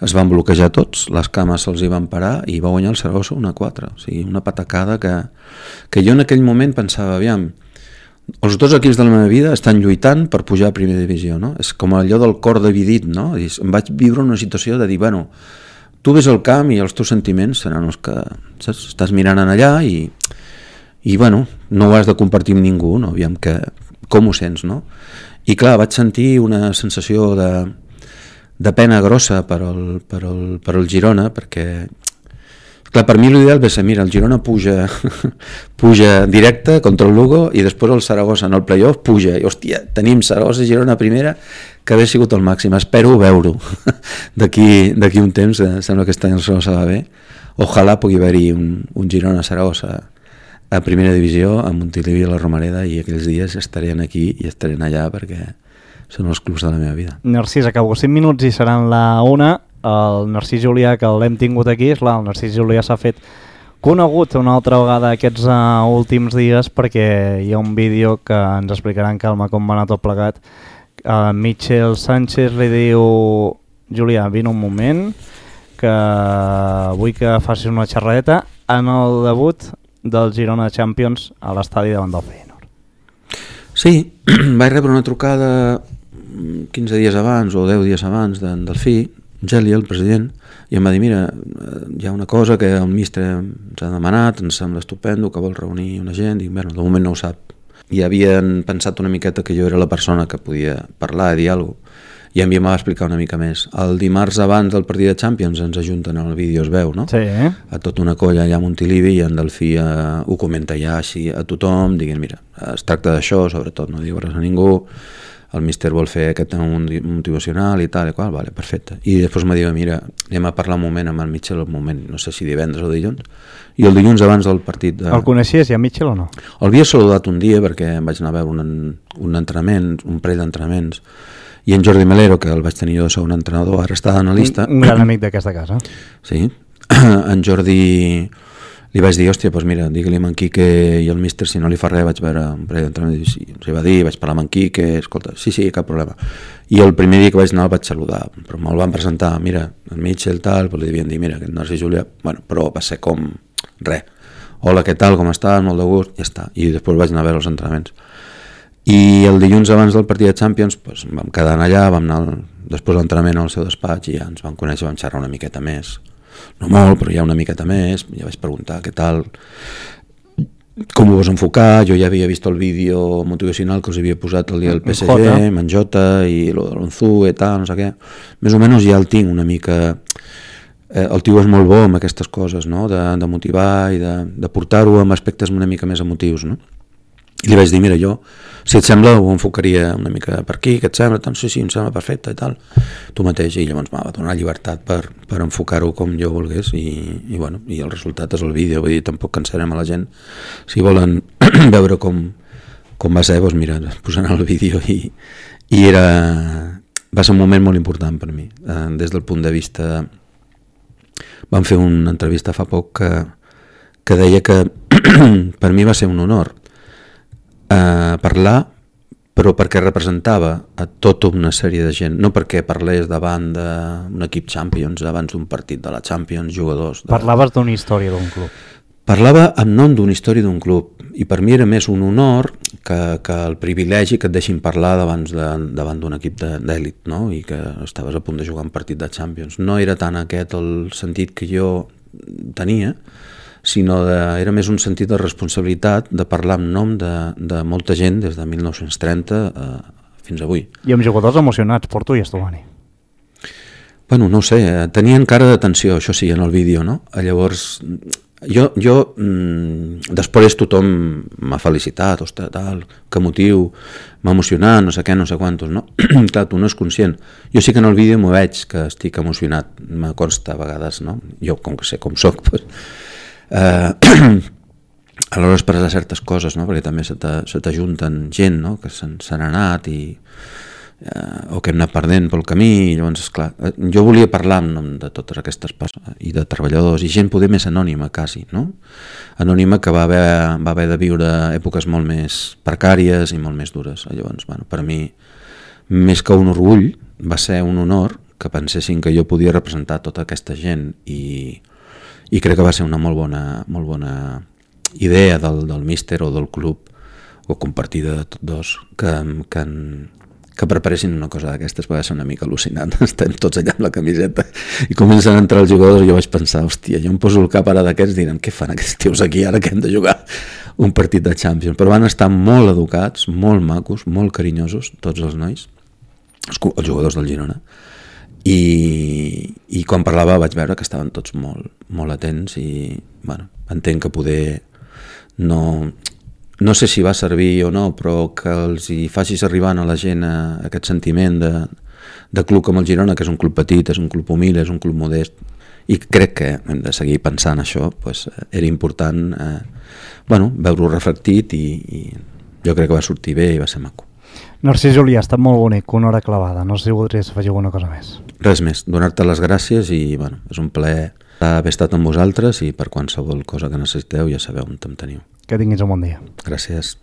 Es van bloquejar tots, les cames se'ls hi van parar i va guanyar el Saragossa 1-4, o sigui, una patacada que jo en aquell moment pensava, aviam, els dos equips de la meva vida estan lluitant per pujar a primera divisió, no? És com allò del cor dividit, no? I em vaig viure una situació de dir, bueno, tu ves al camp i els teus sentiments seran els que estàs mirant en allà i bueno, no ho has de compartir amb ningú, no? Aviam com ho sents, no? I clar, vaig sentir una sensació de pena grossa per al Girona, perquè clar, per mi l'ideal va ser, mira, el Girona puja directe contra el Lugo i després el Saragossa en el playoff puja, i hòstia, tenim Saragossa i Girona primera, que hauria sigut el màxim. Espero veure-ho d'aquí un temps, sembla que aquest any el Saragossa va bé, ojalà pugui haver-hi un Girona-Saragossa a primera divisió, a Montilivi, a la Romareda, i aquells dies estarien aquí i estarien allà perquè són els clubs de la meva vida. Narcís, acabo 5 minuts i seran la 1. El Narcís Julià, que l'hem tingut aquí, és clar, el Narcís Julià s'ha fet conegut una altra vegada aquests últims dies perquè hi ha un vídeo que ens explicarà en calma com va anar tot plegat. Michel Sánchez li diu: Julià, vine un moment, que vull que facis una xerradeta en el debut del Girona Champions a l'estadi davant del Feyenoord. Sí, vaig rebre una trucada 15 dies abans o 10 dies abans del Delfí, Geli, el president, i em va dir: mira, hi ha una cosa que el míster ens ha demanat, ens sembla estupendo, que vol reunir una gent. Dic, bueno, de moment no ho sap. I havien pensat una miqueta que jo era la persona que podia parlar i dir alguna cosa, i a mi m'ha explicar una mica més. El dimarts abans del partit de Champions ens ajunten en el vídeo, es veu, no? Sí. A tota una colla allà a Montilivi, i en Delfí ho comenta ja així a tothom, dient, mira, es tracta d'això, sobretot no diu res a ningú, el míster vol fer aquest motivacional i tal i qual, vale, perfecte. I després me diu, mira, anem a parlar un moment amb el Michel, un moment, no sé si divendres o dilluns, i el dilluns abans del partit... El coneixies ja, Michel, o no? El havia saludat un dia perquè vaig anar a veure un entrenament, un parell d'entrenaments, i en Jordi Melero, que el vaig tenir jo de segon entrenador, ara està d'analista... Un gran amic d'aquesta casa. Sí, en Jordi... Li vaig dir, hòstia, doncs mira, digue-li amb en Quique i el míster, si no li fa res, vaig veure un parell d'entrenament, sí, ens hi va dir, vaig parlar amb en Quique, escolta, sí, cap problema. I el primer dia que vaig anar el vaig saludar, però me'l van presentar, mira, el Mitchell, tal, però li devien dir, mira, aquest Narcís Julià, bueno, però va ser com res. Hola, què tal, com estàs, molt de gust, ja està. I després vaig anar a veure els entrenaments. I el dilluns abans del partit de Champions, doncs, vam quedar allà, vam anar després de l'entrenament al seu despatx i ja ens vam conèixer, vam xerrar una miqueta més. No molt, però ja una miqueta més, ja vaig preguntar què tal, com ho vas enfocar. Jo ja havia vist el vídeo motivacional que us havia posat el dia del PSG, amb en Jota i lo de l'Onzu i tal, no sé què. Més o menys ja el tinc una mica... El tio és molt bo amb aquestes coses, no? De motivar i de portar-ho amb aspectes una mica més emotius, no? I li vaig dir, mira, jo, si et sembla, ho enfocaria una mica per aquí, què et sembla? Tant, sí, em sembla perfecte i tal. Tu mateix, i llavors m'ha donat llibertat per enfocar-ho com jo volgués i bueno, i el resultat és el vídeo, vull dir, tampoc cansarem a la gent. Si volen veure com va ser, doncs mira, posaran el vídeo i va ser un moment molt important per mi, des del punt de vista... Vam fer una entrevista fa poc que deia que per mi va ser un honor parlar, però perquè representava a tota una sèrie de gent, no perquè parlés davant d'un equip Champions, abans d'un partit de la Champions, jugadors... Parlaves d'una història d'un club. Parlava en nom d'una història d'un club, i per mi era més un honor que el privilegi que et deixin parlar davant d'un equip d'èlit, no? I que estaves a punt de jugar un partit de Champions. No era tant aquest el sentit que jo tenia, sinó era més un sentit de responsabilitat de parlar en nom de molta gent des de 1930 fins avui. I amb jugadors emocionats, Porto i Estovani. Bueno, no ho sé, tenien cara d'atenció, això sí, en el vídeo, no? Llavors, jo després tothom m'ha felicitat, ostres, tal, que motiu, m'ha emocionat, no sé què, no sé quantos, no? Clar, tu no és conscient. Jo sí que en el vídeo m'ho veig que estic emocionat, me consta a vegades, no? Jo, com que sé com soc, doncs... a l'hora d'expressar certes coses, no? Perquè també se t'ajunten gent, no? Que s'han anat o que hem anat perdent pel camí, i llavors, esclar, jo volia parlar en nom de totes aquestes persones i de treballadors i gent poder més anònima quasi, no? Anònima que va haver de viure èpoques molt més precàries i molt més dures. Llavors, bueno, per mi, més que un orgull, va ser un honor que pensessin que jo podia representar tota aquesta gent i crec que va ser una molt bona idea del míster o del club o compartida de tots dos que preparessin una cosa d'aquestes. Va ser una mica al·lucinant. Estem tots allà amb la camiseta i comencen a entrar els jugadors i jo vaig pensar, hòstia, jo em poso el cap ara d'aquests, diran, què fan aquests tios aquí ara que hem de jugar un partit de Champions? Però van estar molt educats, molt macos, molt carinyosos, tots els nois, els jugadors del Girona. I quan parlava vaig veure que estaven tots molt atents i bueno, entenc que poder no sé si va servir o no, però que els hi facis arribar a la gent aquest sentiment de club com el Girona, que és un club petit, és un club humil, és un club modest, i crec que hem de seguir pensant això, pues, era important veure-ho reflectit i jo crec que va sortir bé i va ser maco. Narcís Julià, ha estat molt bonic, una hora clavada. No sé si voldries afegir alguna cosa més. Res més, donar-te les gràcies i bueno, és un plaer haver estat amb vosaltres i per qualsevol cosa que necessiteu ja sabeu on em teniu. Que tinguis un bon dia. Gràcies.